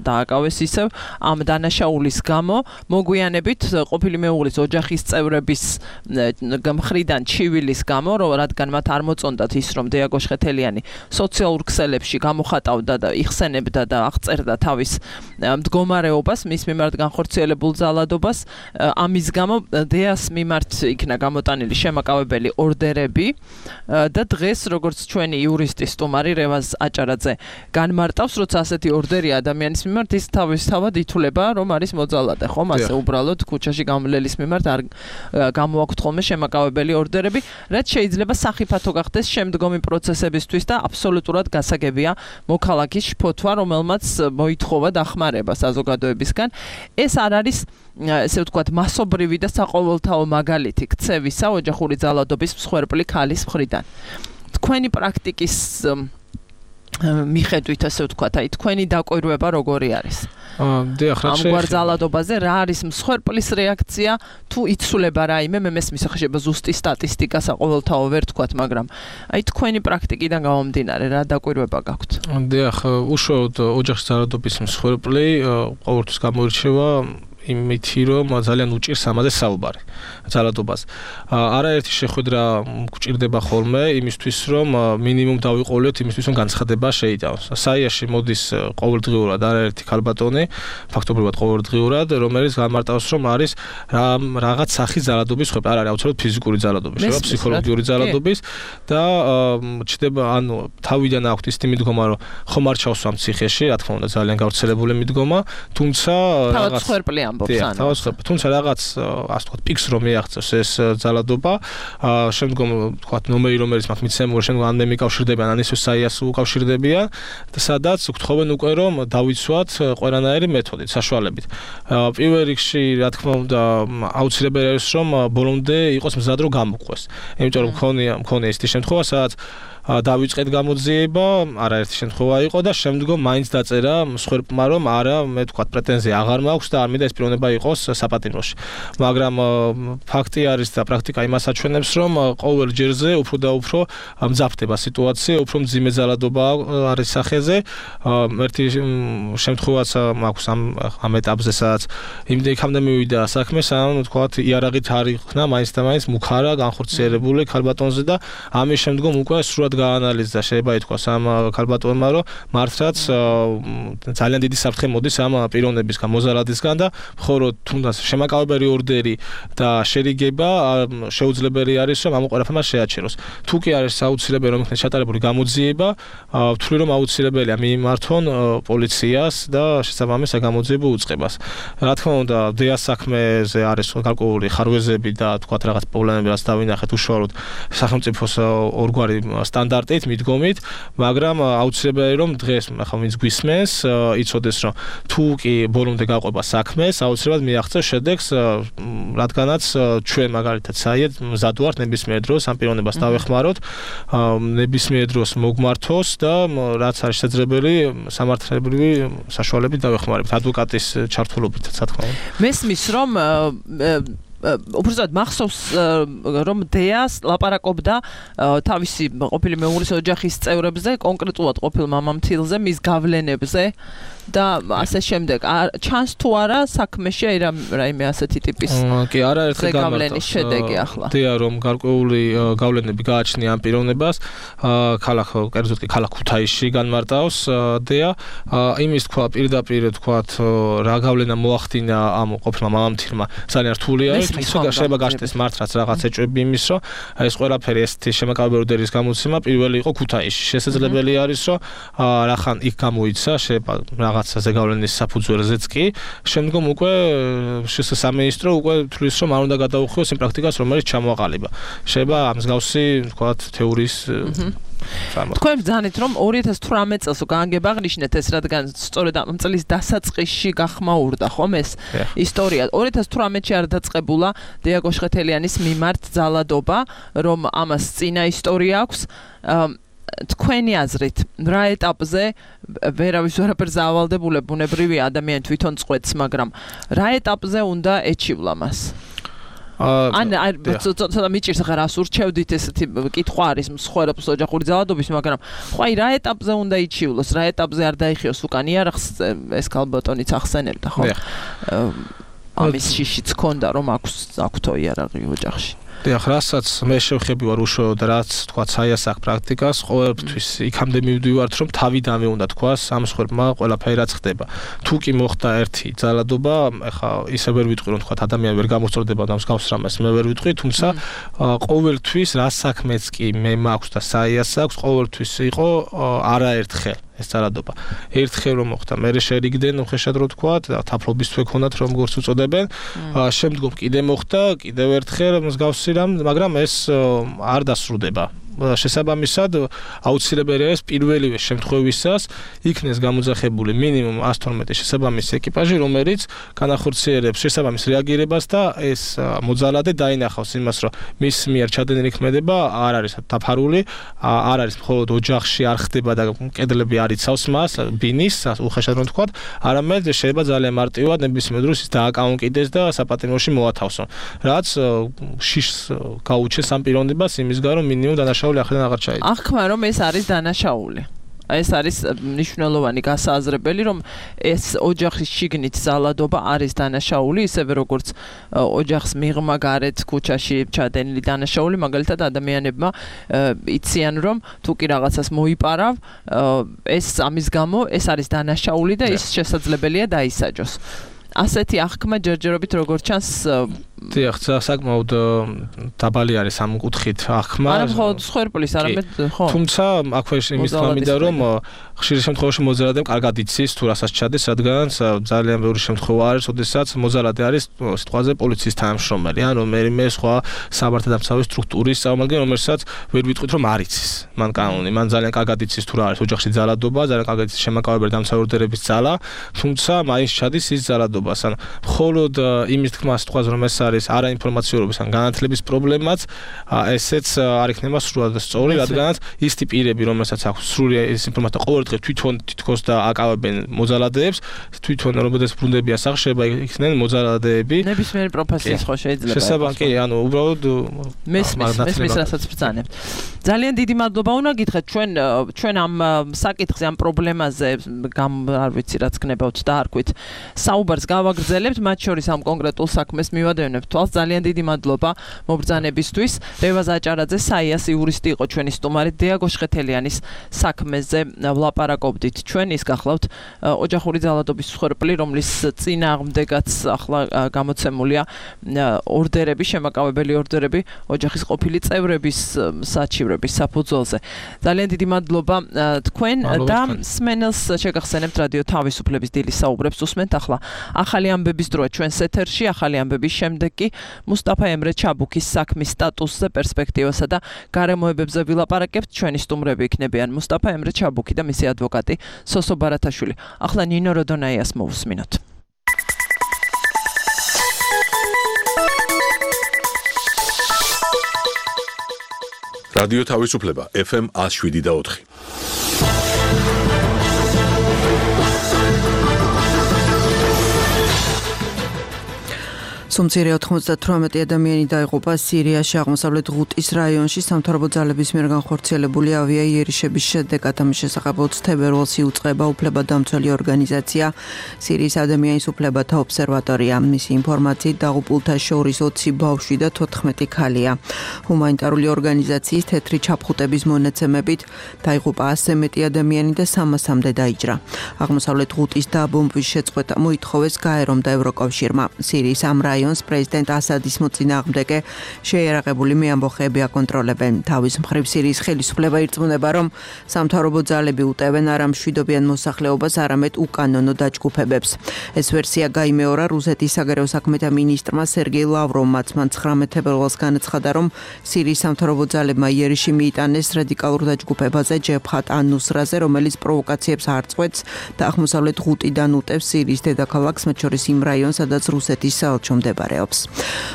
დააკავეს ისევ ამ დანაშაულის გამო, მოგვიანებით ყოფილი მეუღლის ოჯახის წევრების მხრიდან ჩივილის გამო, რომ რადგან მათ არ მოწონდათ ის, რომ დეა გოშხეთელიანი სოციალურ ქსელებში გამოხატავდა და იხსენებდა და აღწერდა თავის მდგომარეობას, მის მიმართ განხორციელებულ ძალადობას, ამის გამო დეას მიმართ იქნა გამოტანილი შემაკავებელი ორდერები და დღეს, როგორც ჩვენი იურისტი სტუმარი რევაზ აჭარაძე განმარტავს, როცა ასეთი ორდერი ადამიანის მიმართ, ის თავის თავად ითვლება, რომ არის მოძალადე, ხომ? ასე უბრალოდ ქუჩაში გამლელის მიმართ არ გამოაქვთ ხოლმე შემაკავებელი ორდერები, რაც შეიძლება სახიფათო გახდეს შემდგომი პროცესებისთვის და აბსოლუტურად გასაგებია მოქალაქის შფოთვა, რომელმაც მოითხოვა დახმარება საზოგადოებისგან. ეს არ არის, ესე ვთქვათ, მასობრივი და საყოველთაო მაგალითი ქცევისა ოჯახური ძალადობის მსხვერპლი ქალის მხრიდან. თქვენი პრაქტიკის მიხედვით ასე ვთქვათ, აი თქვენი დაკვირვება როგორი არის? აა დიახ, რა შეიძლება. ამ გვარძალადობაზე რა არის მსხვერპლის რეაქცია თუ იცვლება რაიმე, მე მესმის ხდება ზუსტი სტატისტიკა საყოველთაო ვერ ვთქვათ, მაგრამ აი თქვენი პრაქტიკიდან გამომდინარე რა დაკვირვება გაქვთ? დიახ, უშუალოდ ოჯახის ძალადობის მსხვერპლი ყოველთვის გამოირჩევა იმითი რომ ძალიან უჭირს ამაზე საუბარი ძალადობას. არაერთი შეხვედრა გვჭირდება ხოლმე იმისთვის რომ მინიმუმ დავიყოლოთ იმისთვის რომ განცხადება შეიტანოს. საიაში მოდის ყოველდღიურად არაერთი ქალბატონი, ფაქტობრივად ყოველდღიურად, რომელიც გამარტავს რომ არის რაღაც სახის ძალადობის ხვეპ, არ არის აუცილებლად ფიზიკური ძალადობის, შევა ფსიქოლოგიური ძალადობის და ჩდება ანუ თავიდან აქვთ ის მიდგომა რომ ხომ არ ჩავსვა ციხეში, რა თქმა უნდა ძალიან გავრცელებული მიდგომა, თუმცა რაღაც ხერპლი დიახ, თუმცა რაღაც ასე ვთქვათ პიქს რომ მიაღწევს ეს ძალადობა, შემდგომ ვთქვათ ნომერი რომელიც მაქვს მიცემული, შემდგომ ან მე მიკავშირდებიან, ან ისე საიას უკავშირდებიან და სადაც გთხოვენ უკვე რომ დავიცვათ ყველანაირი მეთოდით, საშუალებით. პირველ რიგში, რა თქმა უნდა, აუცილებელი არის რომ ბოლომდე იყოს მზად რომ გამოგყვეს. იმიტომ რომ მქონია მქონია ისეთი შემთხვევა, სადაც დავიწყეთ გამოძიება, არაერთი შემთხვევა იყო და შემდგომ მაინც დაწერა მსხვერპლმა რომ არა, მე თქვა პრეტენზია აღარ მაქვს და არ მინდა ეს პიროვნება იყოს საპატიმროში. მაგრამ ფაქტი არის და პრაქტიკა იმას აჩვენებს, რომ ყოველ ჯერზე უფრო და უფრო მძაფდება სიტუაცია, უფრო მძიმე ძალადობა არის სახეზე. ერთი შემთხვევაც მაქვს ამ ამ ეტაპზე, სადაც იმდენ იქამდე მივიდა საქმე, სანამ თქვა იარაღით არ იქნა მაინც და მაინც მუქარა განხორციელებული ქალბატონზე და ამის შემდგომ უკვე სრულად გაანალიზდა, შეიძლება ითქვას ამ ქალბატონმა, რომ მართლაც ძალიან დიდი საფრთხე მოდის ამ პიროვნებისგან, მოზალადისგან და მხოლოდ თუნდაც შემაკავებელი ორდერი და შერიგება შეუძლებელი არის, რომ ამ ყველაფერმა შეაჩეროს. თუ კი არის აუცილებელი რომ იქნეს ჩატარებული გამოძიება, ვთვლი რომ აუცილებელია მიმართონ პოლიციას და შესაბამის გამოძიებო უწყებას. რა თქმა უნდა, დეას საქმეზე არის გარკვეული ხარვეზები და თქვათ რაღაც პრობლემები, რაც დავინახეთ უშუალოდ სახელმწიფოს ორგვარი სტანდარტით, მიდგომით, მაგრამ აუცილებელი რომ დღეს ახლა ვინც გვისმენს, იცოდეს რომ თუ კი ბოლომდე გაყვება საქმეს, აუცილებლად მიაღწევს შედეგს, რადგანაც ჩვენ მაგალითად საიად მზად ვართ ნებისმიერ დროს ამ პიროვნებას დავეხმაროთ, ნებისმიერ დროს მოგმართოს და რაც არის შესაძლებელი სამართლებრივი საშუალებით დავეხმარებთ ადვოკატის ჩართულობით, რა თქმა უნდა. მესმის რომ უბრალოდ მახსოვს რომ დეას ლაპარაკობდა თავისი ყოფილი მეუღლის ოჯახის წევრებზე, კონკრეტულად ყოფილ მამამთილზე, მის გავლენებზე და ასე შემდეგ. ჩანს თუ არა საქმეში აი რაიმე ასეთი ტიპის კი არაერთხელ გავლენის შედეგი ახლა. დეა რომ გარკვეული გავლენები გააჩნია ამ პიროვნებას, ქალაქ კერძოდ კი ქალაქ ქუთაისში განმარტავს დეა, იმის თქვა პირდაპირ თქვათ რა გავლენა მოახდინა ამ ყოფილმა მამამთილმა ძალიან რთული არის. თუმცა შეიძლება გაშտეს მართლაც რაღაც ეჭვები იმის, რომ ეს ყველაფერი ესეთი შემაკავებელი ორდერის გამოცემა პირველი იყო ქუთაისში. შესაძლებელი არის, რომ რახან იქ გამოიცა, შეიძლება რაღაცაზე გავლენის საფუძველზეც კი, შემდგომ უკვე სამინისტრო უკვე თვლის, რომ არ უნდა გადაუხიოს იმ პრაქტიკას, რომელიც ჩამოაყალიბა. შეიძლება ამ მსგავსი, თქვათ, თეორიის თქვენ ბრძანეთ რომ ორი ათას თვრამეტ წელს გაანგება აღნიშნეთ ეს, რადგან სწორედ ამ წლის დასაწყისში გახმაურდა ხომ ეს ისტორია. ორი ათას თვრამეტში არ დაწყებულა დეა გოშხეთელიანის მიმართ ძალადობა, რომ ამას წინა ისტორია აქვს. თქვენი აზრით, რა ეტაპზე ვერავის ვერაფერს ავალდებულებ, ბუნებრივი ადამიანი თვითონ წყვეტს, მაგრამ რა ეტაპზე უნდა ეჩივლა მას? ან ცოტა მიჭირს ახლა რას ურჩევდით, ესეთი კითხვა არის მსხვერპლს ოჯახური ძალადობის, მაგრამ ხო აი რა ეტაპზე უნდა იჩივლოს, რა ეტაპზე არ დაიხიოს უკან იარაღს, ეს ქალბატონიც ახსენებდა, ხო? ამის შიშიც ქონდა რომ აქვს აქვთო იარაღი ოჯახში. დიახ, რასაც მე შევხები ვარ უშუალოდ რაც თქვა საიას აქ პრაქტიკას, ყოველთვის იქამდე მივდივართ რომ თავიდანვე უნდა თქვა ამ მსხვერპლმა ყველაფერი რაც ხდება. თუ კი მოხდა ერთი ძალადობა, ეხა ისე ვერ ვიტყვი რომ თქვა ადამიანი ვერ გამოსწორდება და მსგავს რამეს მე ვერ ვიტყვი, თუმცა ყოველთვის რა საქმეც კი მე მაქვს და საიას აქვს, ყოველთვის იყო არაერთხელ ეს ძალადობა. ერთხელ რომ მოხდა, მე შერიგდნენ უხეშად რო თქვა, თაფლობის თვე ქონათ რომ გორს უწოდებენ. შემდგომ კიდე მოხდა, კიდევ ერთხელ მსგავსი რამ, მაგრამ ეს არ დასრულდება. შესაბამისად აუცილებელია ეს პირველივე შემთხვევისას იქნეს გამოძახებული მინიმუმ one twelve შესაბამისი ეკიპაჟი, რომელიც განახორციელებს შესაბამის რეაგირებას და ეს მოძალადე დაინახავს იმას, რომ მის მიერ ჩადენილი ქმედება არ არის დაფარული, არ არის მხოლოდ ოჯახში არ ხდება და კედლები არ იცავს მას, ბინის, უხეშად რომ ვთქვათ, არამედ შეიძლება ძალიან მარტივად ნებისმიერ დროს ის დააკაუნკიდეს და საპატიმროში მოათავსონ. რაც შიშს გაუჩეს ამ პიროვნებას იმის გამო, რომ მინიმუმ დანაშაული ახრიდან აღარ ჩაიდგა. ახლა რომ ეს არის დანაშაული. ეს არის მნიშვნელოვანი გასააზრებელი, რომ ეს ოჯახის შიგნით ზალადობა არის დანაშაული, ისევე როგორც ოჯახს მიღმა გარეთ ქუჩაში ჩადენილი დანაშაული, მაგალითად ადამიანებმა იციან, რომ თუ კი რაღაცას მოიპარავ, ეს ამის გამო ეს არის დანაშაული და ის შესაძლებელია დაისაჯოს. ასეთი აღქმა ჯერჯერობით როგორც ჩანს დიახ, საკმაოდ დაბალი არის ამ კუთხით აღქმა. არა მხოლოდ სხერპლის, არამედ ხო. თუმცა აქვე იმის თქმა მინდა, რომ ხშირ შემთხვევაში მოძალადემ კარგად იცის თუ რასაც ჩადეს, რადგან ძალიან ბევრი შემთხვევა არის, როდესაც მოძალადე არის სიტყვაზე პოლიციის თანამშრომელი, ან რომელიმე სხვა საბართალდამცავი სტრუქტურის წარმომადგენელი, რომელსაც ვერ ვიტყვით რომ არ იცის. მან კანონი, მან ძალიან კარგად იცის თუ რა არის ოჯახში ძალადობა, ძალიან კარგად იცის შემაკავებელი დამცავი ორდერების ძალა, თუმცა მაინც ჩადის ის ძალადობას, ან მხოლოდ იმის თქმა სიტყვაზე რომ ეს არის არაინფორმაციურობის ან განათლების პრობლემაც, ესეც არ იქნება სრულად სწორი, რადგანაც ის ტიპირები, რომელსაც აქვს სრული ეს ინფორმაცია ყოველდღე თვითონ თითქოს და აკავებენ მოძალადეებს, თვითონ როდესაც ბრუნდები ასახშება იქნენ მოძალადეები. ნებისმიერი პროფესიის ხო შეიძლება. შესაბამისად, კი, ანუ უბრალოდ მესმის, მესმის რასაც ბრძანებთ. ძალიან დიდი მადლობა უნდა გითხრათ ჩვენ ჩვენ ამ საკითხზე, ამ პრობლემაზე, გამ არ ვიცი რაც გნებავთ და არქვით. საუბარს გავაგრძელებთ, მათ შორის ამ კონკრეტულ საქმეს მივადევნებთ თვალს. ძალიან დიდი მადლობა მობრძანებისთვის. რევაზ აჭარაძე, საიას იურისტი იყო ჩვენი სტუმარი, დიაგო შხეთელიანის საქმეზე ვლაპარაკობდით. ჩვენ ის გახლავთ ოჯახური ძალადობის მსხვერპლი, რომლის წინააღმდეგაც ახლა გამოცემულია ორდერები, შემაკავებელი ორდერები ოჯახის ყოფილი წევრების საჩივრების საფუძველზე. ძალიან დიდი მადლობა თქვენ და სმენელს შეგახსენებთ რადიო თავისუფლების დილის საუბრებს უსმენთ ახლა. ახალი ამბების დროა ჩვენს ეთერში, ახალი ამბების შემდეგ კი მუსტაფა ემრე ჩაბუქის საქმის სტატუსზე, პერსპექტივასა და გარემოებებზე ვილაპარაკებთ. ჩვენი სტუმრები იქნებიან მუსტაფა ემრე ჩაბუქი და მისი ადვოკატი სოსო ბარათაშვილი. ახლა ნინო როდონაიას მოусმინოთ. რადიო თავისუფლება ეფ ემ one oh seven და four. სუმცირე ოთხმოცდათვრამეტი ადამიანი დაიღუპა სირიაში აღმოსავლეთ ღუტის რაიონში სამთავრობო ძალების მიერ განხორციელებული ავიაიერიშების შედეგად. ამის შესახებ ოცი თებერვალს იუწყება უფლებადამცველი ორგანიზაცია სირიის ადამიანის უფლებათა ობსერვატორია. მისი ინფორმაციით დაღუპულთა შორის ოცი ბავშვი და თოთხმეტი ქალია. ჰუმანიტარული ორგანიზაციის თეთრი ჩაფხუტების მონაცემებით დაიღუპა ასზე მეტი ადამიანი და სამასამდე დაიჭრა. აღმოსავლეთ ღუტის დაბომბვის შეწყვეტა მოითხოვეს გაერომ და ევროკავშირმა. სირიის ამ რაიონს პრეზიდენტ ასადის მოწინააღმდეგე შეიარაღებული მეამბოხეები აკონტროლებენ. თავის მხრივ სირიის ხელისუფლება ირწმუნება, რომ სამთავრობო ძალები უტევენ არა მშვიდობიან მოსახლეობას, არამედ უკანონო დაჯგუფებებს. ეს ვერსია გაიმეორა რუსეთის საგარეო საქმეთა მინისტრმა სერგეი ლავროვმაც. მან ცხრამეტ თებერვალს განაცხადა, რომ სირიის სამთავრობო ძალებმა იერიში მიიტანეს რადიკალურ დაჯგუფებაზე ჯებჰათ ან-ნუსრაზე, რომელიც პროვოკაციებს არ წყვეტს და აღმოსავლეთ ღუტიდან უტევს სირიის დედაქალაქს, მათ შორის იმ რაიონს, სადაც რუსეთის საელჩო მდებარეობს.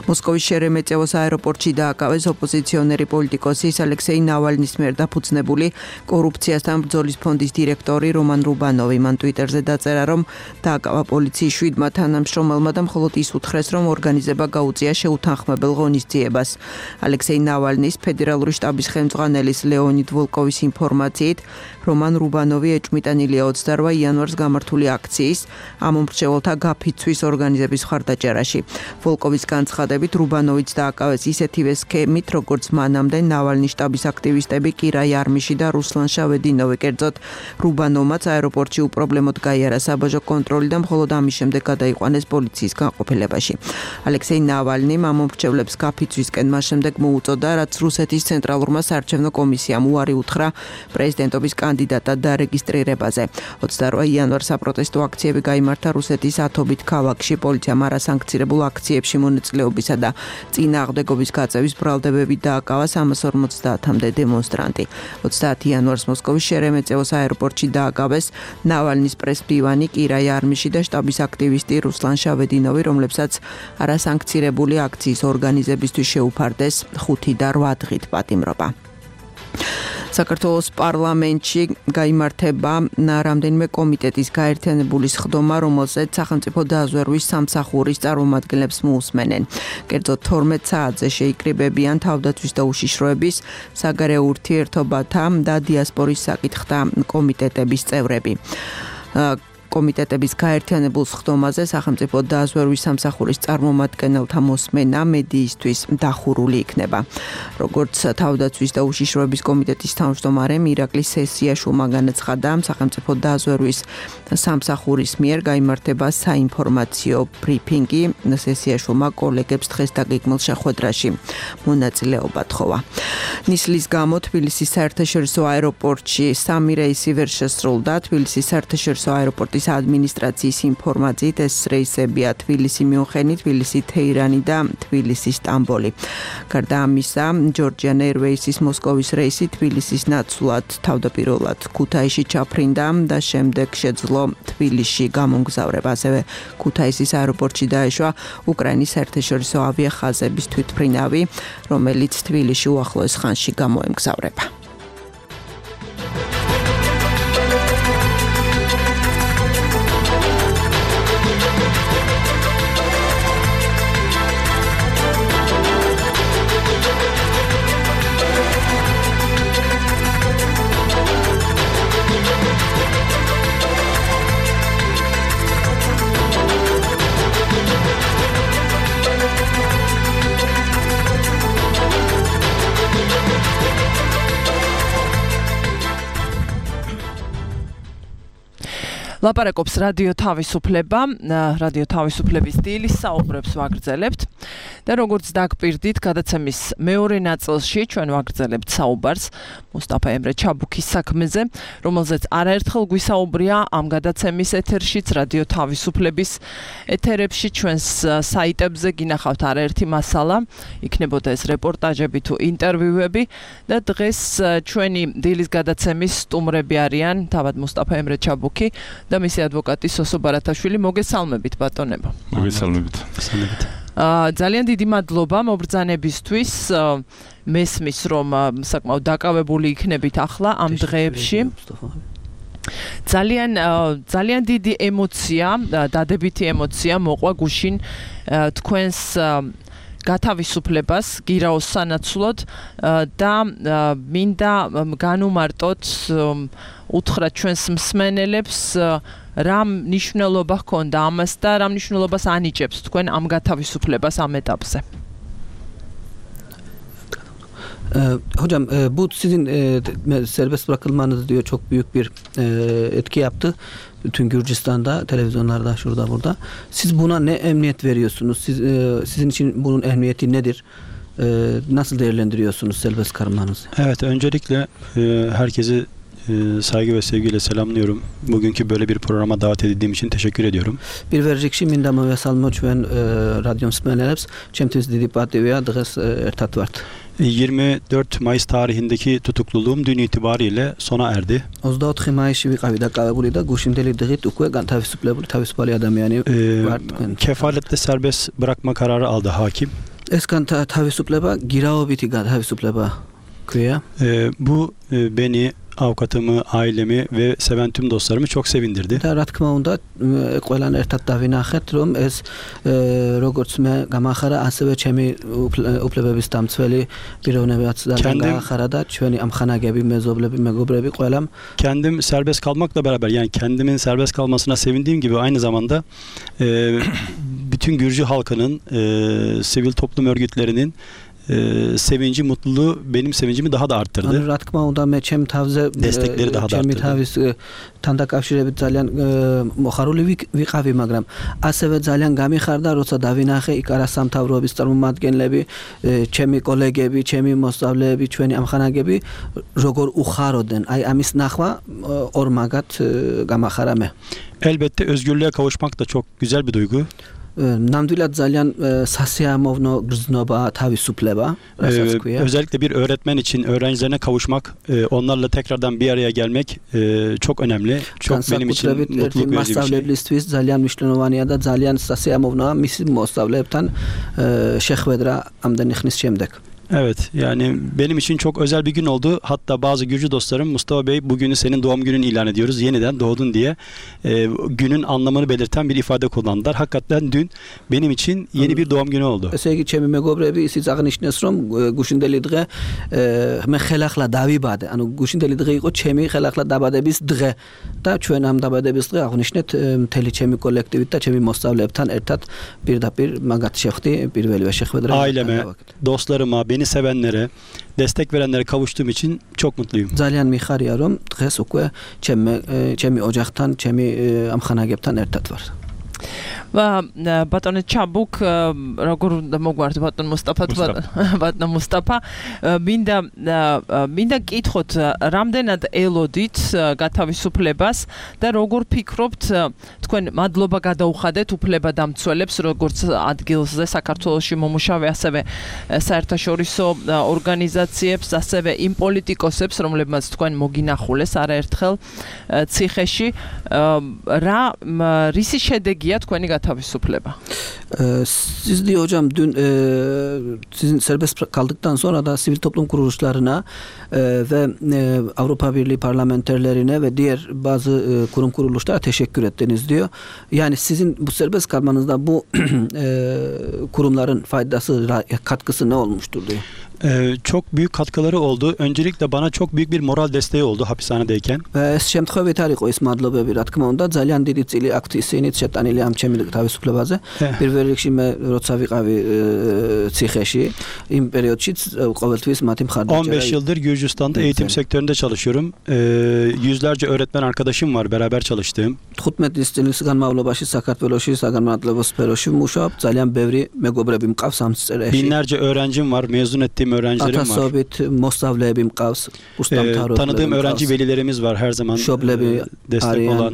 მოსკოვის შერემეტიევოს აეროპორტში დააკავეს ოპოზიციონერი პოლიტიკოსის ალექსეი ნავალნის მიერ დაფუძნებული კორუფციასთან ბრძოლის ფონდის დირექტორი რომან რუბანოვი. მან ტვიტერზე დაწერა, რომ დააკავა პოლიციის შვიდმა თანამშრომელმა და მხოლოდ ის უთხრეს, რომ ორგანიზება გაუწია შეუთანხმებელ ღონისძიებას. ალექსეი ნავალნის ფედერალური შტაბის ხელმძღვანელის ლეონიდ ვოლკოვის ინფორმაციით, რომან რუბანოვი ეჭვმიტანილია ოცდარვა იანვარს გამართული აქციის ამ მომრჩეველთა გაფიცვის ორგანიზების მხარდაჭერაში. ვოლკოვის განცხადებით რუბანოვიც დააკავეს ისეთივე სქემით, როგორც მანამდე ნავალნის შტაბის აქტივისტები კირა იარმიში და რუსლან შავედინოვი. კერძოდ რუბანოვმაც აეროპორტში უპრობლემოდ გაიარა საბაჟო კონტროლი და მხოლოდ ამის შემდეგ გადაიყვანეს პოლიციის განყოფილებაში. ალექსეი ნავალნიმ ამ მომრჩევლებს გაფიცვისკენ მას შემდეგ მოუწოდა, რაც რუსეთის ცენტრალურმა საარჩევნო კომისიამ უარი უთხრა პრეზიდენტობის კანდიდატად დარეგისტრირებაზე. ოცდარვა იანვარს საპროტესტო აქციები გაიმართა რუსეთის ათობით ქალაქში. პოლიციამ არასანქცირებულ აქციებში მონაწილეობისა და წინააღმდეგობის გაწევის ბრალდებები დააკავა სამას ორმოცდაათამდე დემონსტრანტი. ოცდაათი იანვარს მოსკოვის შერემეტიევოს აეროპორტში დააკავეს ნავალნის პრესმდივანი კირა იარმიში და შტაბის აქტივისტი რუსლან შავედინოვი, რომლებსაც არასანქცირებული აქციის ორგანიზებისთვის შეუფარდეს ხუთი და რვა დღით პატიმრობა. საქართველოს პარლამენტში გაიმართება რამდენიმე კომიტეტის გაერთიანებული სხდომა, რომელზეც სახელმწიფო დაზვერვის სამსახურის წარმომადგენლებს მოусმენენ. კერძოდ თორმეტ საათზე შეიკრიბებიან თავდაცვის და უშიშროების, საგარეო ურთიერთობათა და დიასპორის საკითხთა კომიტეტების წევრები. კომიტეტების გაერთიანებულ სხდომაზე სახელმწიფო დაზვერვის სამსახურის წარმომადგენელთა მოსმენა მედიისთვის დახურული იქნება. როგორც თავდაცვის და უშიშროების კომიტეტის თავმჯდომარემ ირაკლი სესიაშვილმა განაცხადა, სახელმწიფო დაზვერვის სამსახურის მიერ გაიმართება საინფორმაციო ბრიფინგი. სესიაშვილმა კოლეგებს დღეს დაგეგმილ შეხვედრაში მონაწილეობა თხოვა. ნისლის გამო თბილისის საერთაშორისო აეროპორტში სამი რეისი ვერ შესრულდა. თბილისის საერთაშორისო აეროპორტის ადმინისტრაციის ინფორმაციით ეს რეისებია თბილისი მიუნხენი, თბილისი თეირანი და თბილისი სტამბოლი. გარდა ამისა, ჯორჯიან ეირვეისის მოსკოვის რეისი თბილისის ნაცვლად თავდაპირველად ქუთაისში ჩაფრინდა და შემდეგ შეძლო თბილისში გამომგზავრება. ასევე ქუთაისის აეროპორტში დაეშვა უკრაინის საერთაშორისო ავიახაზების თვითმფრინავი, რომელიც თბილისში უახლოეს ხანში გამოემგზავრება. ლაპარაკობს რადიო თავისუფლება, რადიო თავისუფლების დილის საუბრებს ვაგრძელებთ და როგორც დაგპირდით, გადაცემის მეორე ნაწილში ჩვენ ვაგრძელებთ საუბარს მუსტაფა ემრე ჩაბუქის საქმეზე, რომელზეც არაერთხელ გვისაუბრია ამ გადაცემის ეთერშიც, რადიო თავისუფლების ეთერებში, ჩვენს საიტებზე გინახავთ არაერთი მასალა, იქნებოდა ეს რეპორტაჟები თუ ინტერვიუები და დღეს ჩვენი დილის გადაცემის სტუმრები არიან თავად მუსტაფა ემრე ჩაბუქი და მისი ადვოკატი სოსო ბარათაშვილი. მოგესალმებით ბატონებო. მოგესალმებით. აა ძალიან დიდი მადლობა მობრძანებისთვის. მესმის რომ საკმაოდ დაკავებული იქნებით ახლა ამ დღეებში. ძალიან ძალიან დიდი ემოცია, დადებითი ემოცია მოყვა გუშინ თქვენს გათავისუფლებას გირაოს სანაცვლოდ და მინდა განუმარტოთ უთხრათ ჩვენს მსმენელებს რა მნიშვნელობა ჰქონდა ამას და რა მნიშვნელობას ანიჭებს თქვენ ამ გათავისუფლებას ამ ეტაპზე. Hocam bu sizin serbest bırakılmanız diyor çok büyük bir etki yaptı. Bütün Gürcistan'da, televizyonlarda, şurada burada. Siz buna ne emniyet veriyorsunuz? Siz, sizin için bunun emniyeti nedir? Nasıl değerlendiriyorsunuz serbest kalmanızı? Evet, öncelikle herkesi saygı ve sevgiyle selamlıyorum. Bugünkü böyle bir programa davet edildiğim için teşekkür ediyorum. Bir verecekşi minda movesalmoç ve radyom smeneleps çemtiz didi pativeya dağız ertat vart. yirmi dört Mayıs tarihindeki tutukluluğum dün itibariyle sona erdi. ოცდაოთხი მაისში ვიყავი დაკავებული და გუშინდელი დღით უკვე განთავისუფლებული თავისუფალი ადამიანი ვარ. Kefaletle serbest bırakma kararı aldı hakim. ეს განთავისუფლება გირაობითი განთავისუფლება ქვია. Bu beni, avukatımı, ailemi ve seven tüm dostlarımı çok sevindirdi. და რა თქმა უნდა, ყველან ერთად დავინახეთ, რომ ეს როგორც მე გამახარა, ასევე ჩემი უფლებების დამცველი პიროვნებაც გამახარა და ჩვენი ამხანაგები, მეზობლები, მეგობრები ყველამ. Kendim serbest kalmakla beraber, yani kendimin serbest kalmasına sevindiğim gibi aynı zamanda e, bütün Gürcü halkının, e, sivil toplum örgütlerinin e, sevinci, mutluluğu benim sevincimi daha da arttırdı. რა თქმა უნდა, მე ჩემ თავზე destekleri daha da ჩემი arttırdı. თავის თან დაკავშირებით ძალიან მოხარული ვიყავი, მაგრამ ასევე ძალიან გამიხარდა, როცა დავინახე იქ არასამთავროების წარმომადგენლები, ჩემი კოლეგები, ჩემი მოსწავლეები, ჩვენი ამხანაგები როგორ უხაროდნენ. აი ამის ნახვა ორ მაგათ გამახარა მე. Elbette özgürlüğe kavuşmak da çok güzel bir duygu. ნამდვილად ძალიან სასიამოვნო grznoba თავისუფლება, raსაც ქვია. Özellikle bir öğretmen için öğrencilerine kavuşmak, onlarla tekrardan bir araya gelmek çok önemli. Çok benim için mutluluk verici bir şey. მასწავლებლისთვის ძალიან მნიშვნელოვანია და ძალიან სასიამოვნოა მისი მოსწავლეებთან შეხვედრა ამდენი ხნის შემდეგ. Evet, yani benim için çok özel bir gün oldu. Hatta bazı Gürcü dostlarım Mustafa Bey bugünü senin doğum günün ilan ediyoruz. Yeniden doğdun diye e, günün anlamını belirten bir ifade kullandılar. Hakikaten dün benim için yeni bir doğum günü oldu. ესე იგი ჩემი მეგობრები ისიც აღნიშნეს რომ გუშინდელი დღე მე ხელახლა დავიბადე. ანუ გუშინდელი დღე იყო ჩემი ხელახლა დაბადების დღე და ჩვენ ამ დაბადების დღე აღნიშნეთ მთელი ჩემი კოლექტივით და ჩემი მოსწავლეებთან ერთად პირდაპირ მაგათ შევხვდი პირველივე შეხვედრა. Aileme, dostlarıma, beni sevenlere, destek verenlere kavuştuğum için çok mutluyum. ძალიან მიხარია რომ დღეს უკვე ჩემი ჩემი ოჯახთან, ჩემი ამხანაგებთან ერთად ვარ. ბატონო ჩაბუკ როგორ მოგვართ ბატონ მუსტაფა ბატონ მუსტაფა მინდა მინდა კითხოთ რამდენად ელოდით გათავისუფლებას და როგორ ფიქრობთ თქვენ მადლობა გადაუხადეთ უფლებადამცველებს როგორც ადგილზე საქართველოში მომუშავე ასევე საერთაშორისო ორგანიზაციებს ასევე იმ პოლიტიკოსებს რომლებმაც თქვენ მოგინახულეს არაერთხელ ციხეში რა რისი შედეგია თქვენი თავისუფლება. Siz diyor hocam dün e, sizin serbest kaldıktan sonra da sivil toplum kuruluşlarına e, ve e, Avrupa Birliği parlamenterlerine ve diğer bazı e, kurum kuruluşlara teşekkür ettiniz diyor. Yani sizin bu serbest kalmanızda bu e, kurumların faydası, katkısı ne olmuştur diyor. Ee, çok büyük katkıları oldu. Öncelikle bana çok büyük bir moral desteği oldu hapishanedeyken. ეს შემთხვევით არ იყო ის მადლობები, რა თქმა უნდა, ძალიან დიდი წილი აქვთ ისინიც შეტანილი ამ ჩემი თავისუფლებაზე. პირველ რიგში მე როცა ვიყავი ციხეში, იმ პერიოდშიც ყოველთვის მათი მხარდაჭერა. on beş yıldır Gürcistan'da eğitim sektöründe çalışıyorum. Ee, yüzlerce öğretmen arkadaşım var, beraber çalıştığım. თხუთმეტი წლის განმავლობაში საქართველოში საგანმანათლებლო სფეროში ვმუშაობ, ძალიან ბევრი მეგობრები მყავს ამ სფეროში. Binlerce öğrencim var, mezun ettiğim öğrencilerim var. ათასობით მოსწავლეები mqავს, უსტამთავრობლები. Tanıdığım öğrenci velilerimiz var her zaman destek olan.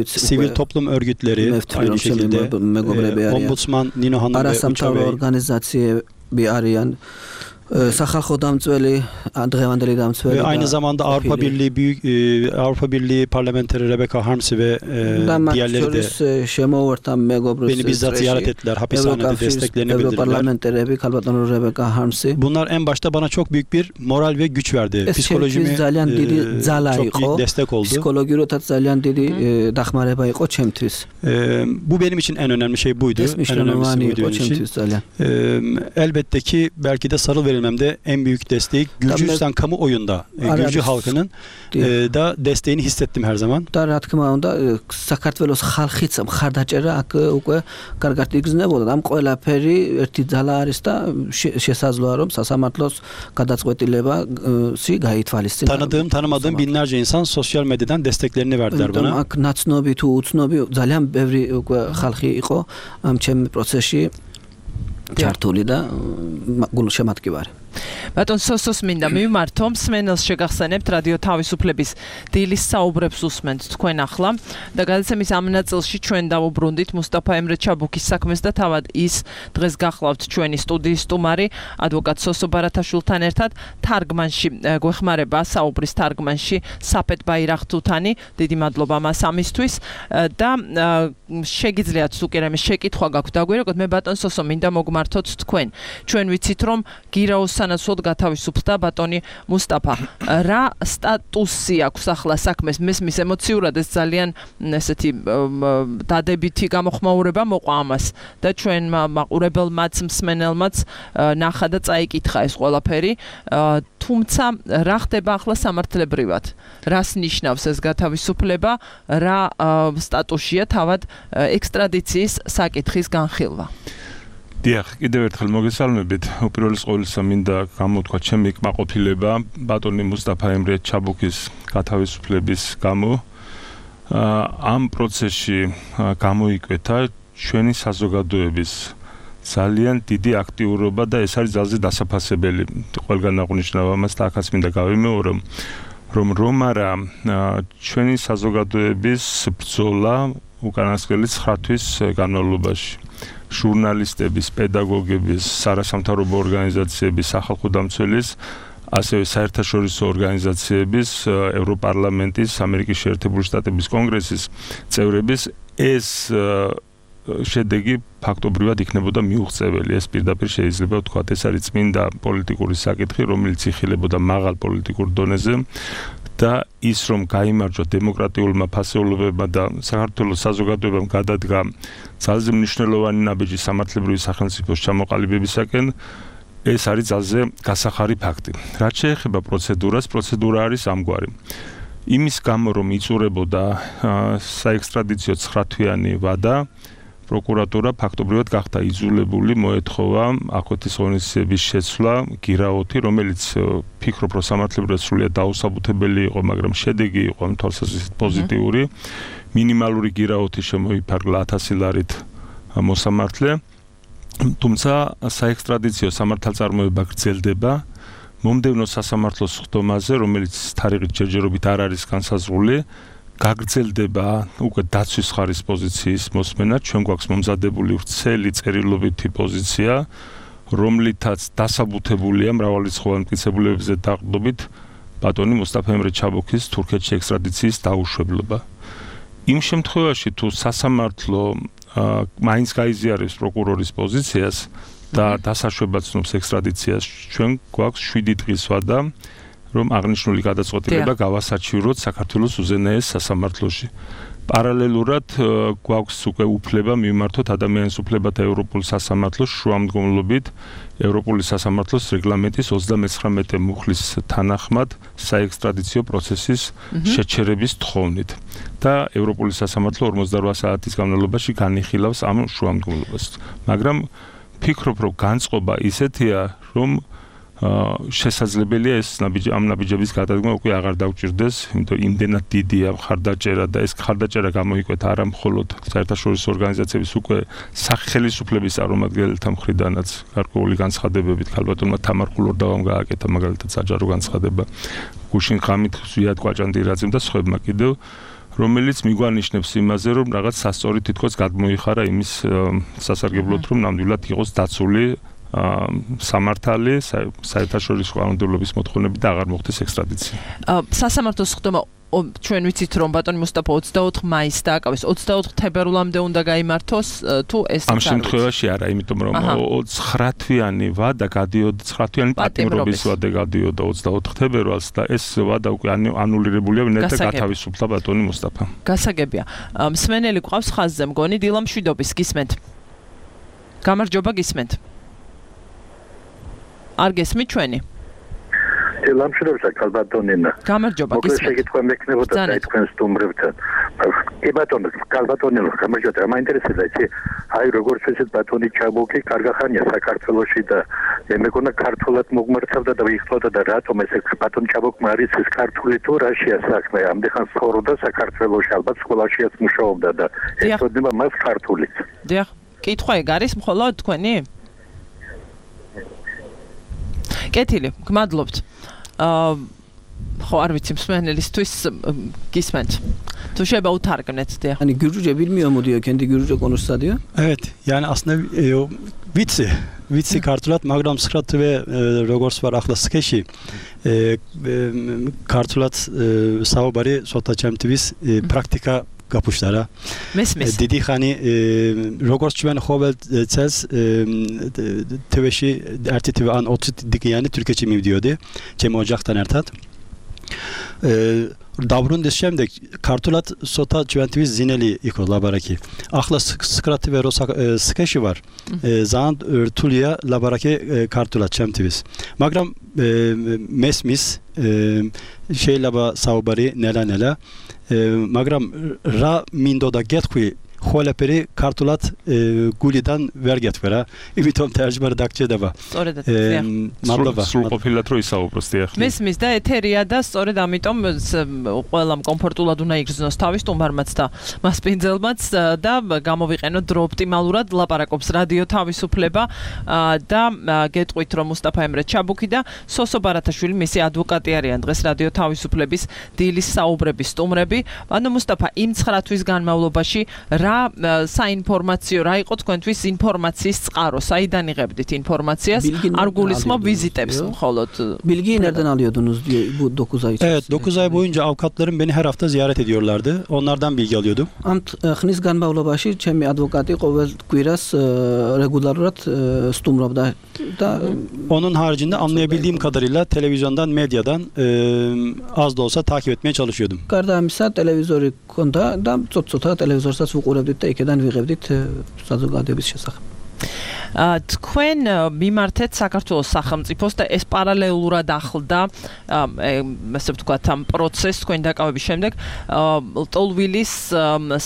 Sivil toplum örgütleri aynı şekilde. E, Ombudsman Nino Hanım ve Uça Bey. ორგანიზაციები არიან. სახალხო დამცველი, დღევანდელი დამცველი. Ve aynı zamanda Avrupa Birliği büyük e, Avrupa Birliği parlamenteri Rebecca Harms ve e, diğerleri de beni bizzat ziyaret ettiler, hapishanede desteklerini bildirdiler. Bunlar en başta bana çok büyük bir moral ve güç verdi. Psikolojimi e, çok iyi destek oldu. Psikologiyotაც ძალიან დიდი დახმარება იყო ჩემთვის. E, bu benim için en önemli şey buydu. En önemlisi buydu benim için. E, elbette ki belki de sarıl verilmemde en büyük desteği Gürcistan kamuoyunda, Gürcü halkının e, da desteğini hissettim her zaman. და რა თქმა უნდა, საქართველოს ხალხიც მხარდაჭერა აქ უკვე კარგად იგრძნებოდა. ამ ყველაფერი ერთი ძალა არის და შესაძლოა რომ სასამართლოს გადაწყვეტილებაში გაითვალისწინოს. Tanıdığım, tanımadığım binlerce insan sosyal medyadan desteklerini verdiler bana. აქ ნაცნობი თუ უცნობი ძალიან ბევრი უკვე ხალხი იყო ამ ჩემ პროცესში ჩართული და გულშემატკივარი. ბატონ სოსოს მინდა მივმართო, მსმენელს შეგახსენებთ რადიო თავისუფლების დილის საუბრებს უსმენთ თქვენ ახლა და გადაცემის ამ ნაწილში ჩვენ დავუბრუნდით მუსტაფა ემრე ჩაბუკის საქმეს და თავად ის დღეს გახლავთ ჩვენი სტუდიის სტუმარი ადვოკატ სოსო ბარათაშვილთან ერთად თარგმანში გვეხმარება საუბრის თარგმანში საფეთ ბაირახტუთანი, დიდი მადლობა მას ამისთვის და შეგიძლიათ უკვე რამე შეკითხვა გაქვთ დაგვირეკოთ. მე ბატონ სოსო მინდა მოგმართოთ თქვენ. ჩვენ ვიცით რომ გირაოს სანაცვლოდ გათავისუფლდა ბატონი მუსტაფა. რა სტატუსი აქვს ახლა საქმეს? მესმის ემოციურად ეს ძალიან ესეთი დადებითი გამოხმაურება მოყვა ამას და ჩვენ მაყურებელმაც მსმენელმაც ნახა და წაიკითხა ეს ყველაფერი. თუმცა რა ხდება ახლა სამართლებრივად? რას ნიშნავს ეს გათავისუფლება? რა სტატუსია თავად ექსტრადიციის საკითხის განხილვა? დიახ, კიდევ ერთხელ მოგესალმებით. უპირველეს ყოვლისა მინდა გამოთქვა ჩემი კმაყოფილება ბატონი მუსტაფა ემრე ჩაბუკის გათავისუფლების გამო. ამ პროცესში გამოიკვეთა ჩვენი საზოგადოების ძალიან დიდი აქტიურობა და ეს არის ძალზე დასაფასებელი. ყველგან აღნიშნავ ამას და ახაც მინდა გავიმეორო, რომ რომ არა ჩვენი საზოგადოების ბრძოლა უკანასკნელი ცხრა თვის განმავლობაში. ჟურნალისტების, პედაგოგების, სარასამთავრობო ორგანიზაციების, სახალხო დამცველის, ასევე საერთაშორისო ორგანიზაციების, ევროპარლამენტის, ამერიკის შეერთებული შტატების კონგრესის წევრების ეს შედეგი ფაქტობრივად იქნებოდა მიუღწეველი. ეს პირდაპირ შეიძლება ვთქვათ, ეს არის წმინდა პოლიტიკური საკითხი, რომელიც იხილებოდა მაღალ პოლიტიკურ დონეზე და ის რომ გაიმარჯვა დემოკრატიულმა ფასეულობებმა და საქართველოს საზოგადოებამ გადადგა ძალზე მნიშვნელოვანი ნაბიჯი სამართლებრივი სახელმწიფოს ჩამოყალიბებისაკენ, ეს არის ძალზე გასახარი ფაქტი. რაც შეეხება პროცედურას, პროცედურა არის ამგვარი. იმის გამო რომ იწურებოდა საექსტრადიციო ცხრათვიანი ვადა, პროკურატურა ფაქტობრივად გახდა იძულებული მოეთხოვა აქვეთის ღონისძიების შეცვლა გირაოთი, რომელიც ფიქრობ რომ სამართლებრივად სრულიად დაუსაბუთებელი იყო, მაგრამ შედეგი იყო ამ თვალსაზრისით პოზიტიური. მინიმალური გირაოთი შემოიფარგლა ათასი ლარით მოსამართლე. თუმცა საექსტრადიციო სამართალწარმოება გრძელდება მომდევნო სასამართლოს ხდომაზე, რომელიც თარიღით ჯერჯერობით არ არის განსაზღვრული, გაგრძელდება უკვე დაცვის ხარის პოზიციის მოსმენა. ჩვენ გვაქვს მომზადებული ვრცელი წერილობითი პოზიცია, რომლითაც დასაბუთებულია მრავალრიცხოვანი მტკიცებულებებზე დაყრდნობით ბატონი მუსტაფა ემრე ჩაბოქის თურქეთში ექსტრადიციის დაუშვებლობა. იმ შემთხვევაში თუ სასამართლო მაინც გაიზიარებს პროკურორის პოზიციას და დასაშვებად ცნობს ექსტრადიციას, ჩვენ გვაქვს შვიდი დღის ვადა, რომ აღნიშნული გადაწყვეტილება გავასაჩივროთ საქართველოს უზენაეს სასამართლოში. პარალელურად გვაქვს უკვე უფლება მივმართოთ ადამიანის უფლებათა ევროპულ სასამართლოს შუამდგომლობით ევროპული სასამართლოს რეგლამენტის ოცდამეცხრამეტე მუხლის თანახმად საექსტრადიციო პროცესის შეჩერების თხოვნით და ევროპული სასამართლო ორმოცდაოთხ საათის განმავლობაში განიხილავს ამ შუამდგომლობას. მაგრამ ფიქრობ, რომ განწყობა ისეთია, რომ შესაძლებელია ეს ნაბიჯი ამ ნაბიჯების გადადგმა უკვე აღარ დავჭირდეს, იმიტომ იმდენად დიდია მხარდაჭერა და ეს მხარდაჭერა გამოიკვეთა არა მხოლოდ საერთაშორისო ორგანიზაციების უკვე სახელმწიფოების წარმომადგენელთა მხრიდანაც, გარკვეული განცხადებებით ქალბატონმა თამარ ხულორდავამ გააკეთა მაგალითად საჯარო განცხადება, გუშინ ღამით ზვიად კვაჭანდირაძემ და სხვებმა კიდევ, რომელიც მიგვანიშნებს იმაზე, რომ რაღაც სასწორი თითქოს გადმოიხარა იმის სასარგებლოდ, რომ ნამდვილად იყოს დაცული სამართალი საერთაშორისო კანონმდებლობის მოთხოვნებით და აღარ მოხდეს ექსტრადიცია. სასამართლოს ხდომა ჩვენ ვიცით რომ ბატონი მუსტაფა ოცდაოთხ მაისს დააკავეს, ოცდაოთხ თებერვლამდე უნდა გაიმართოს თუ ეს ამ შემთხვევაში არა, იმიტომ რომ ცხრათვიანი ვადა გადიოდა, ცხრათვიანი პატიმრობის ვადა გადიოდა ოცდაოთხ თებერვალს და ეს ვადა უკვე ანულირებულია ვინაიდან გათავისუფლა ბატონი მუსტაფა. გასაგებია. მსმენელი გვყავს ხაზზე მგონი დილა მშვიდობის, გისმენთ. გამარჯობა, გისმენთ. არ გესმით ჩვენი? ლამშვიდობისა ქალბატონინა. გამარჯობა, გისმენთ. მოკლედ შეგიტყვა მექნებოდა და თქვენ სტუმრებთან. კი ბატონო, ქალბატონინა, გამარჯობა. მაინტერესებდა იცი, აი როგორც ვთქვით ბატონი ჩაბოქი კარგახანია საქართველოში და მე მეგონა ქართულად მოგმართავდა და ვიხსოვდა და რატომ ეს ბატონი ჩაბოქმა არის ეს ქართული თუ რაშია საქმე. ამდენ ცხოვრობდა საქართველოში, ალბათ სკოლაშიაც მუშაობდა და ეთოდება მას ქართულიც. დიახ, კითხვა ეგ არის მხოლოდ თქვენი? კეთილი, გმადლობთ. აა ხო, არ ვიცი მსმენელისთვის გისმენთ. თუ შეიძლება უთარგმნეთ, დიახ. Ani Gürcüce bilmiyor mu diyor, kendi Gürcüce konuşsa diyor. Evet, yani aslında e, o vitsi, vitsi kartulat, მაგრამ სხრათვე როგორც ვარ ახლა სქეში, e, kartulat საუბარი სოთა ჩემთვის პრაქტიკა გაფუშდა რა. მესმის. დიდი ხანი როგორც ჩვენ ყოველ წელს თვეში ერთი თვე ან ოცი დღიანი თურქეთში მივდიოდი ჩემ ოჯახთან ერთად. დაბრუნდეს შემდეგ ქართულად სოთა ჩვენთვის ზინელი იყო ლაბარაკი. ახლა სკრათვე რო სქეში ვარ. ძალიან რთულია ლაბარაკი ქართულად ჩემთვის. მაგრამ მესმის შეიძლება საუბარი ნელა-ნელა მაგრამ რა მინდოდა გეტყვი ხოლაფერი ქართულად გულიდან ვერ გეტყვი რა იმიტომ თერჯმარ დაგჭირდება სწორედ მადლობა სრულყოფილად რო ისაუბროს დიახ მესმის და ეთერია და სწორედ ამიტომ ყველამ კომფორტულად უნდა იგრძნოს თავის სტუმარმაც და მასპინძელმაც და გამოვიყენოთ დრო ოპტიმალურად ლაპარაკობს რადიო თავისუფლება და გეტყვით რომ მუსტაფა ემრე ჩაბუქი და სოსო ბარათაშვილი მისი ადვოკატი არიან დღეს რადიო თავისუფლების დილის საუბრების სტუმრები ანუ მუსტაფა იმ ცხრა თვის განმავლობაში რა საინფორმაციო რა იყო თქვენთვის ინფორმაციის წყარო? საიდან იღებდით ინფორმაციას? არ გულისხმობ vizitებს მხოლოდ. Bilgi nereden alıyordunuz diye bu dokuz ay içerisinde? Evet, dokuz ay boyunca avukatlarım beni her hafta ziyaret ediyorlardı. Onlardan bilgi alıyordum. Am xnis ganbavlobაში ჩემი ადვოკატი ყოველ კვირას რეგულარულად სტუმრობდა და onun haricinde anlayabildiğim kadarıyla televizyondan, medyadan e, az da olsa takip etmeye çalışıyordum. გარდა ამისა, ტელევიზორი ჰქონდა და ცოტ-ცოტა ტელევიზორსაც ვუყურებდით და იქიდან ვიღებდით საზოგადოების შესახებ. თქვენ მიმართეთ საქართველოს სახელმწიფოს და ეს პარალელურად ახლდა ასე ვთქვათ ამ პროცესს თქვენ დაკავების შემდეგ ლტოლვილის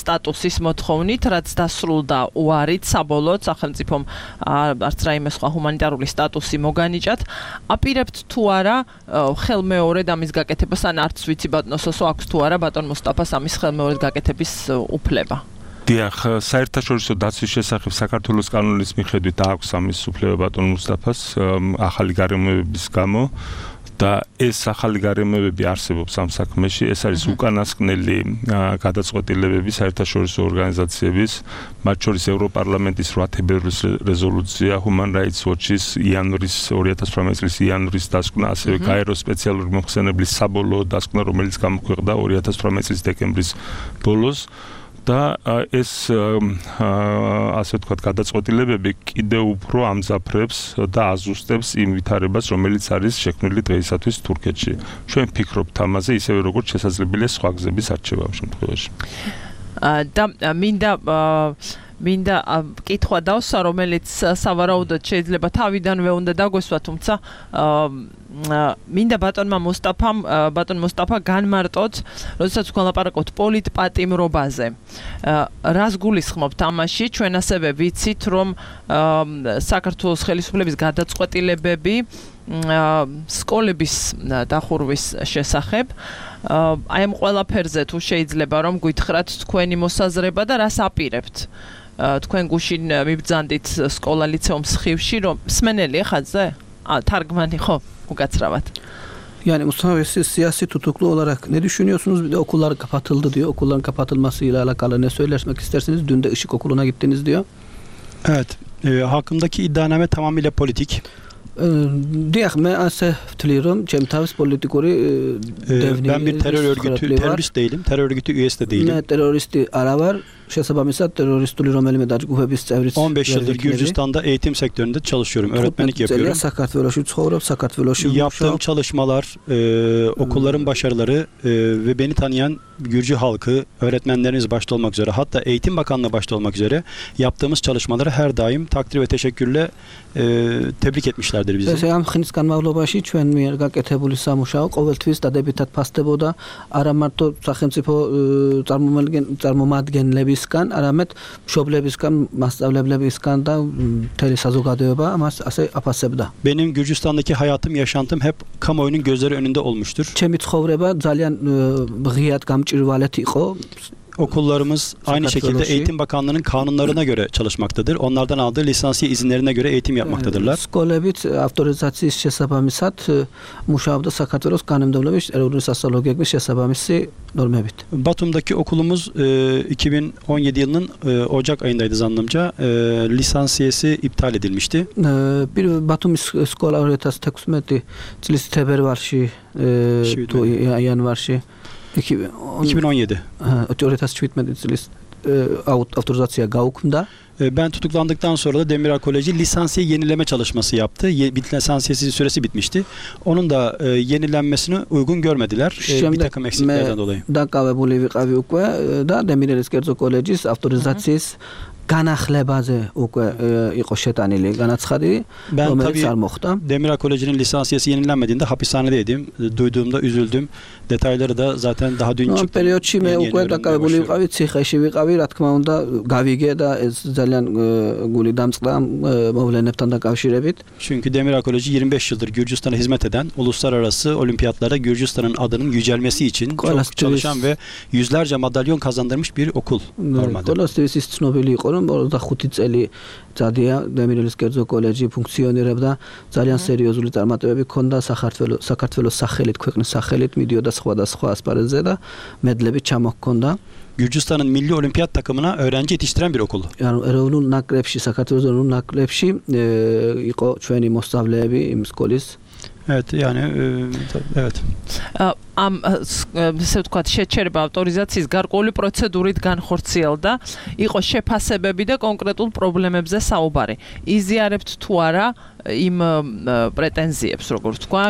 სტატუსის მოთხოვნით, რაც დასრულდა უარით საბოლოოდ სახელმწიფომ არც რაიმე სხვა ჰუმანიტარული სტატუსი მოგანიჭათ. აპირებთ თუ არა ხელმეორედ ამის გაკეთებას, ან არც ვიცი ბატონო სოსო აქვს თუ არა ბატონ მუსტაფას ამის ხელმეორედ გაკეთების უფლება? დიახ, საერთაშორისო დაცვის შესახებ საქართველოს კანონის მიხედვით აქვს ამის უფლება ბატონ მუსტაფას ახალი გარემოებების გამო და ეს ახალი გარემოებები არსებობს ამ საქმეში. ეს არის უკანასკნელი გადაწყვეტილებები საერთაშორისო ორგანიზაციების, მათ შორის ევროპარლამენტის რვა თებერვლის რეზოლუცია, Human Rights Watch-ის იანვრის ორი ათას ათორმეტი წლის იანვრის დასკვნა, ასევე გაეროს სპეციალური მომხსენებლის საბოლოო დასკვნა, რომელიც გამოქვეყნდა ორი ათას ათორმეტი წლის დეკემბრის ბოლოს. და ეს ასე ვთქვათ გადაწყვეტილებები კიდევ უფრო ამძაფრებს და აზუსტებს იმ ვითარებას, რომელიც არის შექმნილი დღეისათვის თურქეთში. ჩვენ ვფიქრობთ ამაზე, ისევე როგორც შესაძლებელია სხვა გზების არჩევა ამ შემთხვევაში. და მინდა მინდა კითხვა დავსვა, რომელიც სავარაუდოდ შეიძლება თავიდანვე უნდა დაგვესვა, თუმცა მინდა ბატონმა მუსტაფამ ბატონ მუსტაფა განმარტოთ, როდესაც თქვენ ლაპარაკობთ პოლიტპატიმრობაზე. რას გულისხმობთ ამაში? ჩვენ ასევე ვიცით, რომ საქართველოს ხელისუფლების გადაწყვეტილებები სკოლების დახურვის შესახებ აი ამ ყველაფერზე თუ შეიძლება რომ გითხრათ თქვენი მოსაზრება და რას აპირებთ? თქვენ გუშინ მიბრძანდით სკოლა ლიცეუმს ხივში, რომ სმენელი ხაზზე? თარგმანი ხო? Ukatravат. Yani Mustafa siz siyasi tutuklu olarak ne düşünüyorsunuz? Bir de okullar kapatıldı diyor. Okulların kapatılmasıyla alakalı ne söylemek istersiniz? Dün de Işık Okulu'na gittiniz diyor. Evet. E, hakkımdaki iddianame tamamıyla politik. Diyək, mən əsəf tülüyorum. Cemtaviz politikori devni. Ben bir terör örgütü, terörist değilim. Terör örgütü üyesi de değilim. Ne teröristi ara var. Შესაბამისად teröristული რომელიმე დაჯგუფების წევრიც on beş yıldır Gürcistan'da eğitim sektöründe çalışıyorum. Öğretmenlik yapıyorum. საქართველოში ცხოვრობ, საქართველოში yaptığım çalışmalar, e, okulların başarıları e, ve beni tanıyan Gürcü halkı, öğretmenleriniz başta olmak üzere, hatta Eğitim Bakanlığı başta olmak üzere yaptığımız çalışmaları her daim takdir ve teşekkürle e, tebrik etmişlerdir bizi. ესე ამ ხნის განმავლობაში ჩვენ მიერ გაკეთებული სამუშაო ყოველთვის დადებითად ფასდებოდა არა მარტო სახელმწიფო წარმომადგენლებისგან, არამედ მშობლებისგან, მასწავლებლებისგან და მთელი საზოგადოება ამას ასე აფასებდა. Benim Gürcistan'daki hayatım, yaşantım hep kamuoyunun gözleri önünde olmuştur. ჩემი ცხოვრება ძალიან ღიად გამჭირვალეთ იყო. Okullarımız aynı şekilde Eğitim Bakanlığı'nın kanunlarına göre çalışmaktadır. Onlardan aldığı lisansiye izinlerine göre eğitim yapmaktadırlar. სკოლებით ავტორიზაციის შესაბამისად მუშაობდა საქართველოს კანონმდებლობის ეროვნული სასწავლებლების შესაბამისი normებით. Batum'daki okulumuz e, iki bin on yedi yılının e, Ocak ayındaydı zannımca. E, lisansiyesi iptal edilmişti. Bir Batumis skola ორი ათას თექვსმეტი წლის თებერვალში თუ იანვარში iki bin on yedi. ორი ათას შვიდმეტი წლის ავტორიზაცია გაუქმდა. Ben tutuklandıktan sonra da Demiral Koleji lisansiye yenileme çalışması yaptı. Ye, lisansiyesi süresi bitmişti. Onun da e, yenilenmesini uygun görmediler. E, bir takım eksiklerden dolayı. დაკავებული ვიყავი უკვე და დემირელის კერძო კოლეჯის ავტორიზაციის განახლებაზე უკვე იყო შეტანილი განაცხადი, რომელიც არ მოხდა. Demiral Koleji'nin lisansiyesi yenilenmediğinde hapishanedeydim. Duyduğumda üzüldüm. Detayları da zaten daha dün çıktı. პერიოდში მე უკვე დაკავებული ვიყავი, ციხეში ვიყავი, რა თქმა უნდა, გავიგე და ez ძალიან გული დამწყდა მოვლენებთან დაკავშირებით. Çünkü Demiral Koleji yirmi beş yıldır Gürcistan'a hizmet eden, uluslararası olimpiyatlara Gürcistan'ın adının yücelmesi için çok çalışan ve yüzlerce madalyon kazandırmış bir okul normalde. Kolostis ცნობილი იყო, რომ ოცდახუთი წელი წადია დემირელის კერძო კოლეჯი ფუნქციონირებდა, ძალიან სერიოზული წარმატებები ჰქონდა საქართველოს საქართველოს სახელით, ქვეყნის სახელით მიდიოდა სხვადასხვა ასპარეზზე და მედლები ჩამოჰქონდა. Gürcistan'ın milli olimpiyat takımına öğrenci yetiştiren bir okul. Yani erოვნულ ნაკრებში, საქართველოს ეროვნულ ნაკრებში იყო ჩვენი მოსწავლეები იმ სკოლის. Evet, yani e, evet. Am ესე ვთქვათ, შეჩერება ავტორიზაციის გარკვეული პროცედურით განხორციელდა, იყო შეფასებები და კონკრეტულ პრობლემებზე საუბარი. იზიარებთ თუ არა იმ პრეტენზიებს, როგორც თქვა,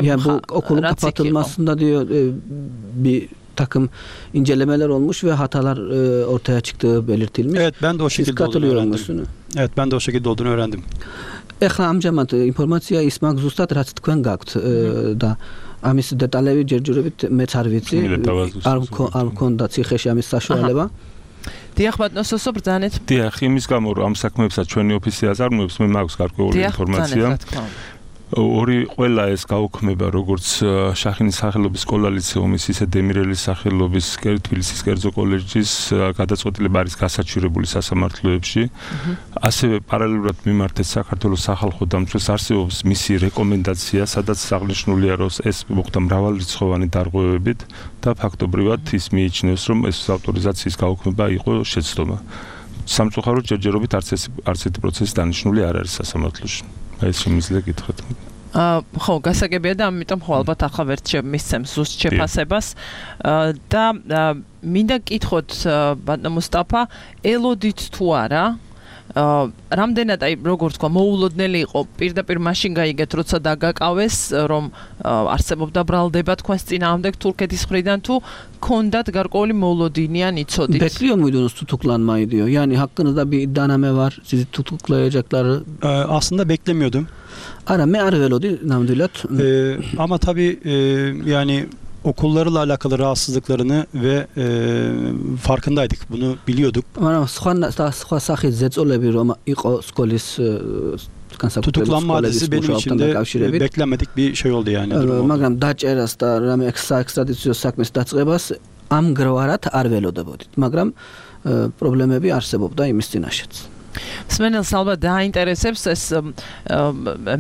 okulun kapatılmasında diyor bir takım incelemeler olmuş ve hatalar e, ortaya çıktığı belirtilmiş. Evet, ben de o şekilde olduğunu öğrendim. Evet, ben de o şekilde olduğunu öğrendim. Ეხლა ამჟამად ინფორმაცია ის მაგ ზუსტად რაც თქვენ გაქვთ და ამის დეტალები ჯერჯერობით მეც არ ვიცი. არ არ მქონდა ციხეში ამის საშუალება. დიახ, ბატონო სოსო, ბრძანეთ. დიახ, იმის გამო რომ ამ საქმეებსაც ჩვენი ოფისი აზარმოებს, მე მაქვს გარკვეული ინფორმაცია. ორი ყველა ეს გაუქმება, როგორც შახინის სახელობის სკოლა ლიცეუმის, ისე დემირელის სახელობის თბილისის კერძო კოლეჯის გადაწყვეტილება არის გასაჩივრებული სასამართლოებში. ასევე პარალელურად მიმართეთ საქართველოს სახალხო დამცველს არსებობს მისი რეკომენდაცია, სადაც აღნიშნულია, რომ ეს მოხდა მრავალრიცხოვანი დარღვევებით და ფაქტობრივად ის მიიჩნევს, რომ ეს ავტორიზაციის გაუქმება იყო შეცდომა. სამწუხაროდ ჯერჯერობით არც ეს არც ერთი პროცესი დანიშნული არ არის სასამართლოში. ეს შემიძლია გითხრათ. აა ხო, გასაგებია და ამიტომ ხო ალბათ ახლა ვერც მისცემს ზუსტ შეფასებას და მინდა გკითხოთ ბატონო მუსტაფა, ელოდით თუ არა რამდენად აი როგორ თქვა მოულოდნელი იყო პირდაპირ მაშინ გაიგეთ როცა დაგაკავეს რომ არსებობდა ბრალდება თქვენს წინააღმდეგ თურქეთის მხრიდან თუ ქონდათ გარკვეული მოულოდინიან იცოდით. Bekliyor muydunuz tutuklanmayı diyor. Yani hakkınızda bir iddianame var. Sizi tutuklayacakları. Ee, aslında beklemiyordum. Ara me arvelodi namdulat. Ee, ama tabii e, yani okullarla alakalı rahatsızlıklarını ve e, farkındaydık. Bunu biliyorduk. Ama სხვა სახის ზეწოლები რომ იყო სკოლის tutuklanma hadisi benim için de beklenmedik bir şey oldu yani. მაგრამ დაჭერას და რამე საექსტრადიციო საქმის დაწყებას ამგვარად არ ველოდებოდით. მაგრამ პრობლემები არსებობდა იმის წინაშეც. სმენელს ალბათ დაინტერესებს ეს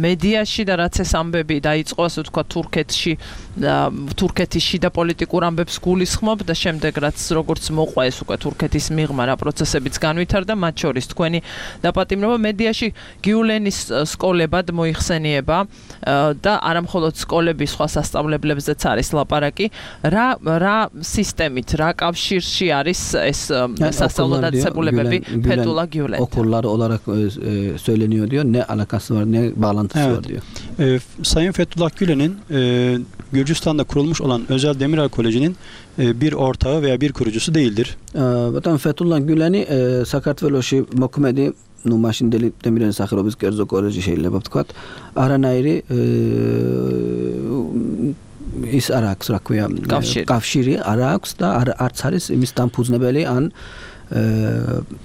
მედიაში და რაც ეს ამბები დაიწყო, ასე ვთქვა, თურქეთში, თურქეთის შიდა პოლიტიკურ ამბებს გულისხმობ და შემდეგ რაც როგორც მოყვა ეს უკვე თურქეთის მიღმა რა პროცესებიც განვითარდა, მათ შორის თქვენი დაპატიმრება მედიაში გიულენის სკოლებად მოიხსენიება და არამხოლოდ სკოლების სხვა სასწავლებლებზეც არის ლაპარაკი. რა რა სისტემით, რა კავშირში არის ეს სასწავლო დაწესებულებები Fethullah Gülen? Okullar olarak e, söyleniyor diyor. Ne alakası var, ne bağlantısı evet. var diyor. E, Sayın Fethullah Gülen'in e, Gürcistan'da kurulmuş olan Özel Demiral Koleji'nin e, bir ortağı veya bir kurucusu değildir. Batan Fethullah Gülen'i e, საქართველოში მოქმედი ну მაშინდელი დემირელის სახელობის კერძო კოლეჯი შეიძლება ვთქვათ. არანაირი ის არ აქვს, რა ქვია, კავშირი არ აქვს და არც არის იმის დამფუძნებელი ან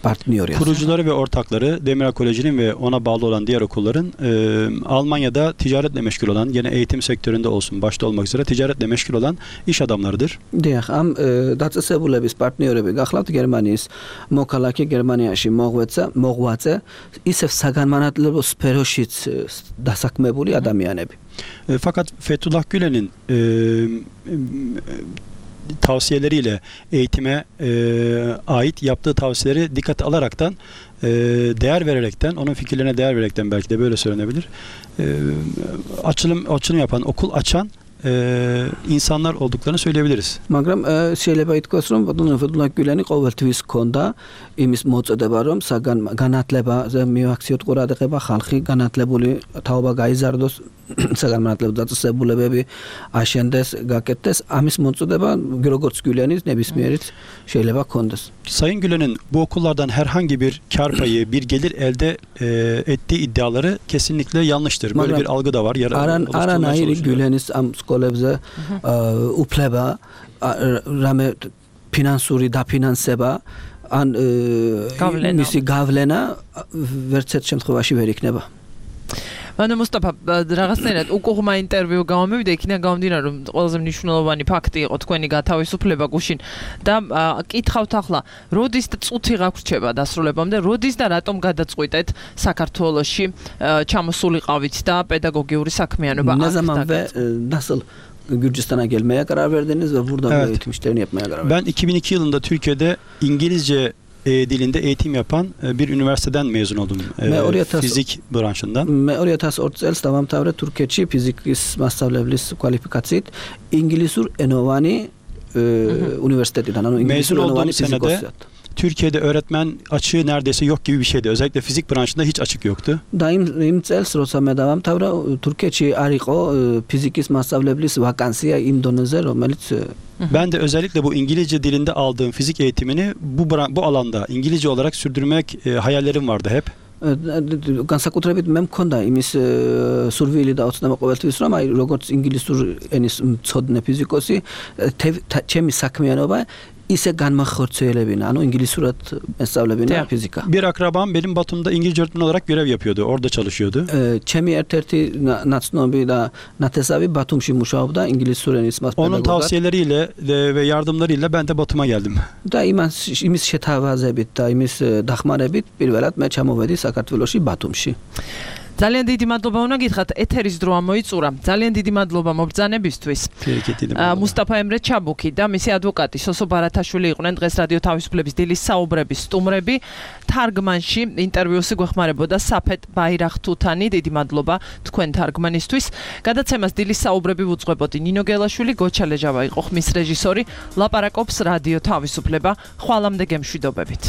partneri. Kurucuları ve ortakları Demiral Koleji'nin ve ona bağlı olan diğer okulların e, Almanya'da ticaretle meşgul olan, yine eğitim sektöründe olsun başta olmak üzere ticaretle meşgul olan iş adamlarıdır. Diyək, am დაწესებულების პარტნიორები გახლავთ გერმანიის მოქალაქე გერმანიაში მოღვეცა, მოღვაწე, ისევ საგანმანათლებლო სფეროშიც დასაქმებული ადამიანები. E, fakat Fethullah Gülen'in e, tavsiyeleriyle eğitime e, ait yaptığı tavsiyeleri dikkate alaraktan e, değer vererekten, onun fikirlerine değer vererekten belki de böyle söylenebilir. E, açılım açılım yapan, okul açan e, insanlar olduklarını söyleyebiliriz. მაგრამ შეიძლება ითქვას, რომ Fethullah Gülen'i ყოველთვის ჰქონდა იმის მოწოდება, რომ განათლებაზე მიაქციოთ ყურადღება, ხალხი განათლებული თაობა გაიზარდოს, საგანმანათლებლო დაწესებულებები აშენდეს, გაკეთდეს, ამის მოწოდება როგორც Gülen'is nebismiyerից შეიძლება ჰქონდეს. Sayın Gülen'in bu okullardan herhangi bir kar payı, bir gelir elde e, ettiği iddiaları kesinlikle yanlıştır. Böyle Magram, bir algı da var. Aranayri Gülen'is am სკოლებზე უფლება რამე ფინანსური დაფინანსება ან მისი გავლენა ვერც ერთ შემთხვევაში ვერ იქნება. ანუ მუსტაფა რაღაცნაირად უკუღმა ინტერვიუ გამომივიდა, იქიდან გამომდინარე რომ ყველაზე მნიშვნელოვანი ფაქტი იყო თქვენი გათავისუფლება გუშინ და კითხავთ ახლა, როდის და წუთი გაგვრჩება დასრულებამდე, როდის და რატომ გადაწყვიტეთ საქართველოში ჩამოსულიყავით და პედაგოგიური საქმიანობა აქ და ნაზამავე დასალ Gürcistan'a gelmeye karar verdiniz ve burada Evet. bu eğitim işlerini yapmaya karar verdiniz. Ben iki bin iki yılında Türkiye'de İngilizce e, dilinde eğitim yapan e, bir üniversiteden mezun oldum. E, Me oraya tas- fizik branşından. Me oraya tas ortsels davam tavre Türkiye'çi fizikis mastavlevlis kualifikatsit İngilizur Enovani e, Üniversitesi'nden. Ano Mezun Enovani olduğum fizik senede osiyat. Türkiye'de öğretmen açığı neredeyse yok gibi bir şeydi. Özellikle fizik branşında hiç açık yoktu. და იმ იმ წელს როცა მე დავამთავრა თურქეთში არ იყო ფიზიკის მასწავლებლის ვაკანსია იმ დონეზე რომელიც Ben de özellikle bu İngilizce dilinde aldığım fizik eğitimini bu bra- bu alanda İngilizce olarak sürdürmek e, hayallerim vardı hep. განსაკუთრებით მე მქონდა იმის სურვილი და ოცნება ყოველთვის რომ აი როგორც ინგლისურ ენის მცოდნე ფიზიკოსი ჩემი საქმიანობა ise განმახორციელებინა, ანუ ინგლისურად მესწავლებინა ფიზიკა. Bir akrabam benim Batum'da İngilizce öğretmen olarak görev yapıyordu. Orada çalışıyordu. ჩემი ერთ-ერთი ნაცნობი და ნათესავი ბათუმში მუშაობდა ინგლისურ ენის მასპედაგოგად. Onun tavsiyeleriyle de- ve yardımlarıyla ben de Batum'a geldim. და იმას იმის შეთავაზებით და იმის დახმარებით პირველად მე ჩამოვედი საქართველოში ბათუმში. ძალიან დიდი მადლობა უნდა გითხრათ, ეთერის დრო ამოიწურა. ძალიან დიდი მადლობა მობრძანებისთვის. მუსტაფა ემრე ჩაბუქი და მისი ადვოკატი სოსო ბარათაშვილი იყვნენ დღეს რადიო თავისუფლების დილის საუბრების სტუმრები. თარგმანში ინტერვიუსი გვეხმარებოდა საფეთ ბაირახთუთანი. დიდი მადლობა თქვენ თარგმანისთვის. გადაცემას დილის საუბრები ვუძღვებოდი ნინო გელაშვილი, გოჩა ლეჟავა იყო ხმის რეჟისორი. ლაპარაკობს რადიო თავისუფლება. ხვალამდე გემშვიდობებით.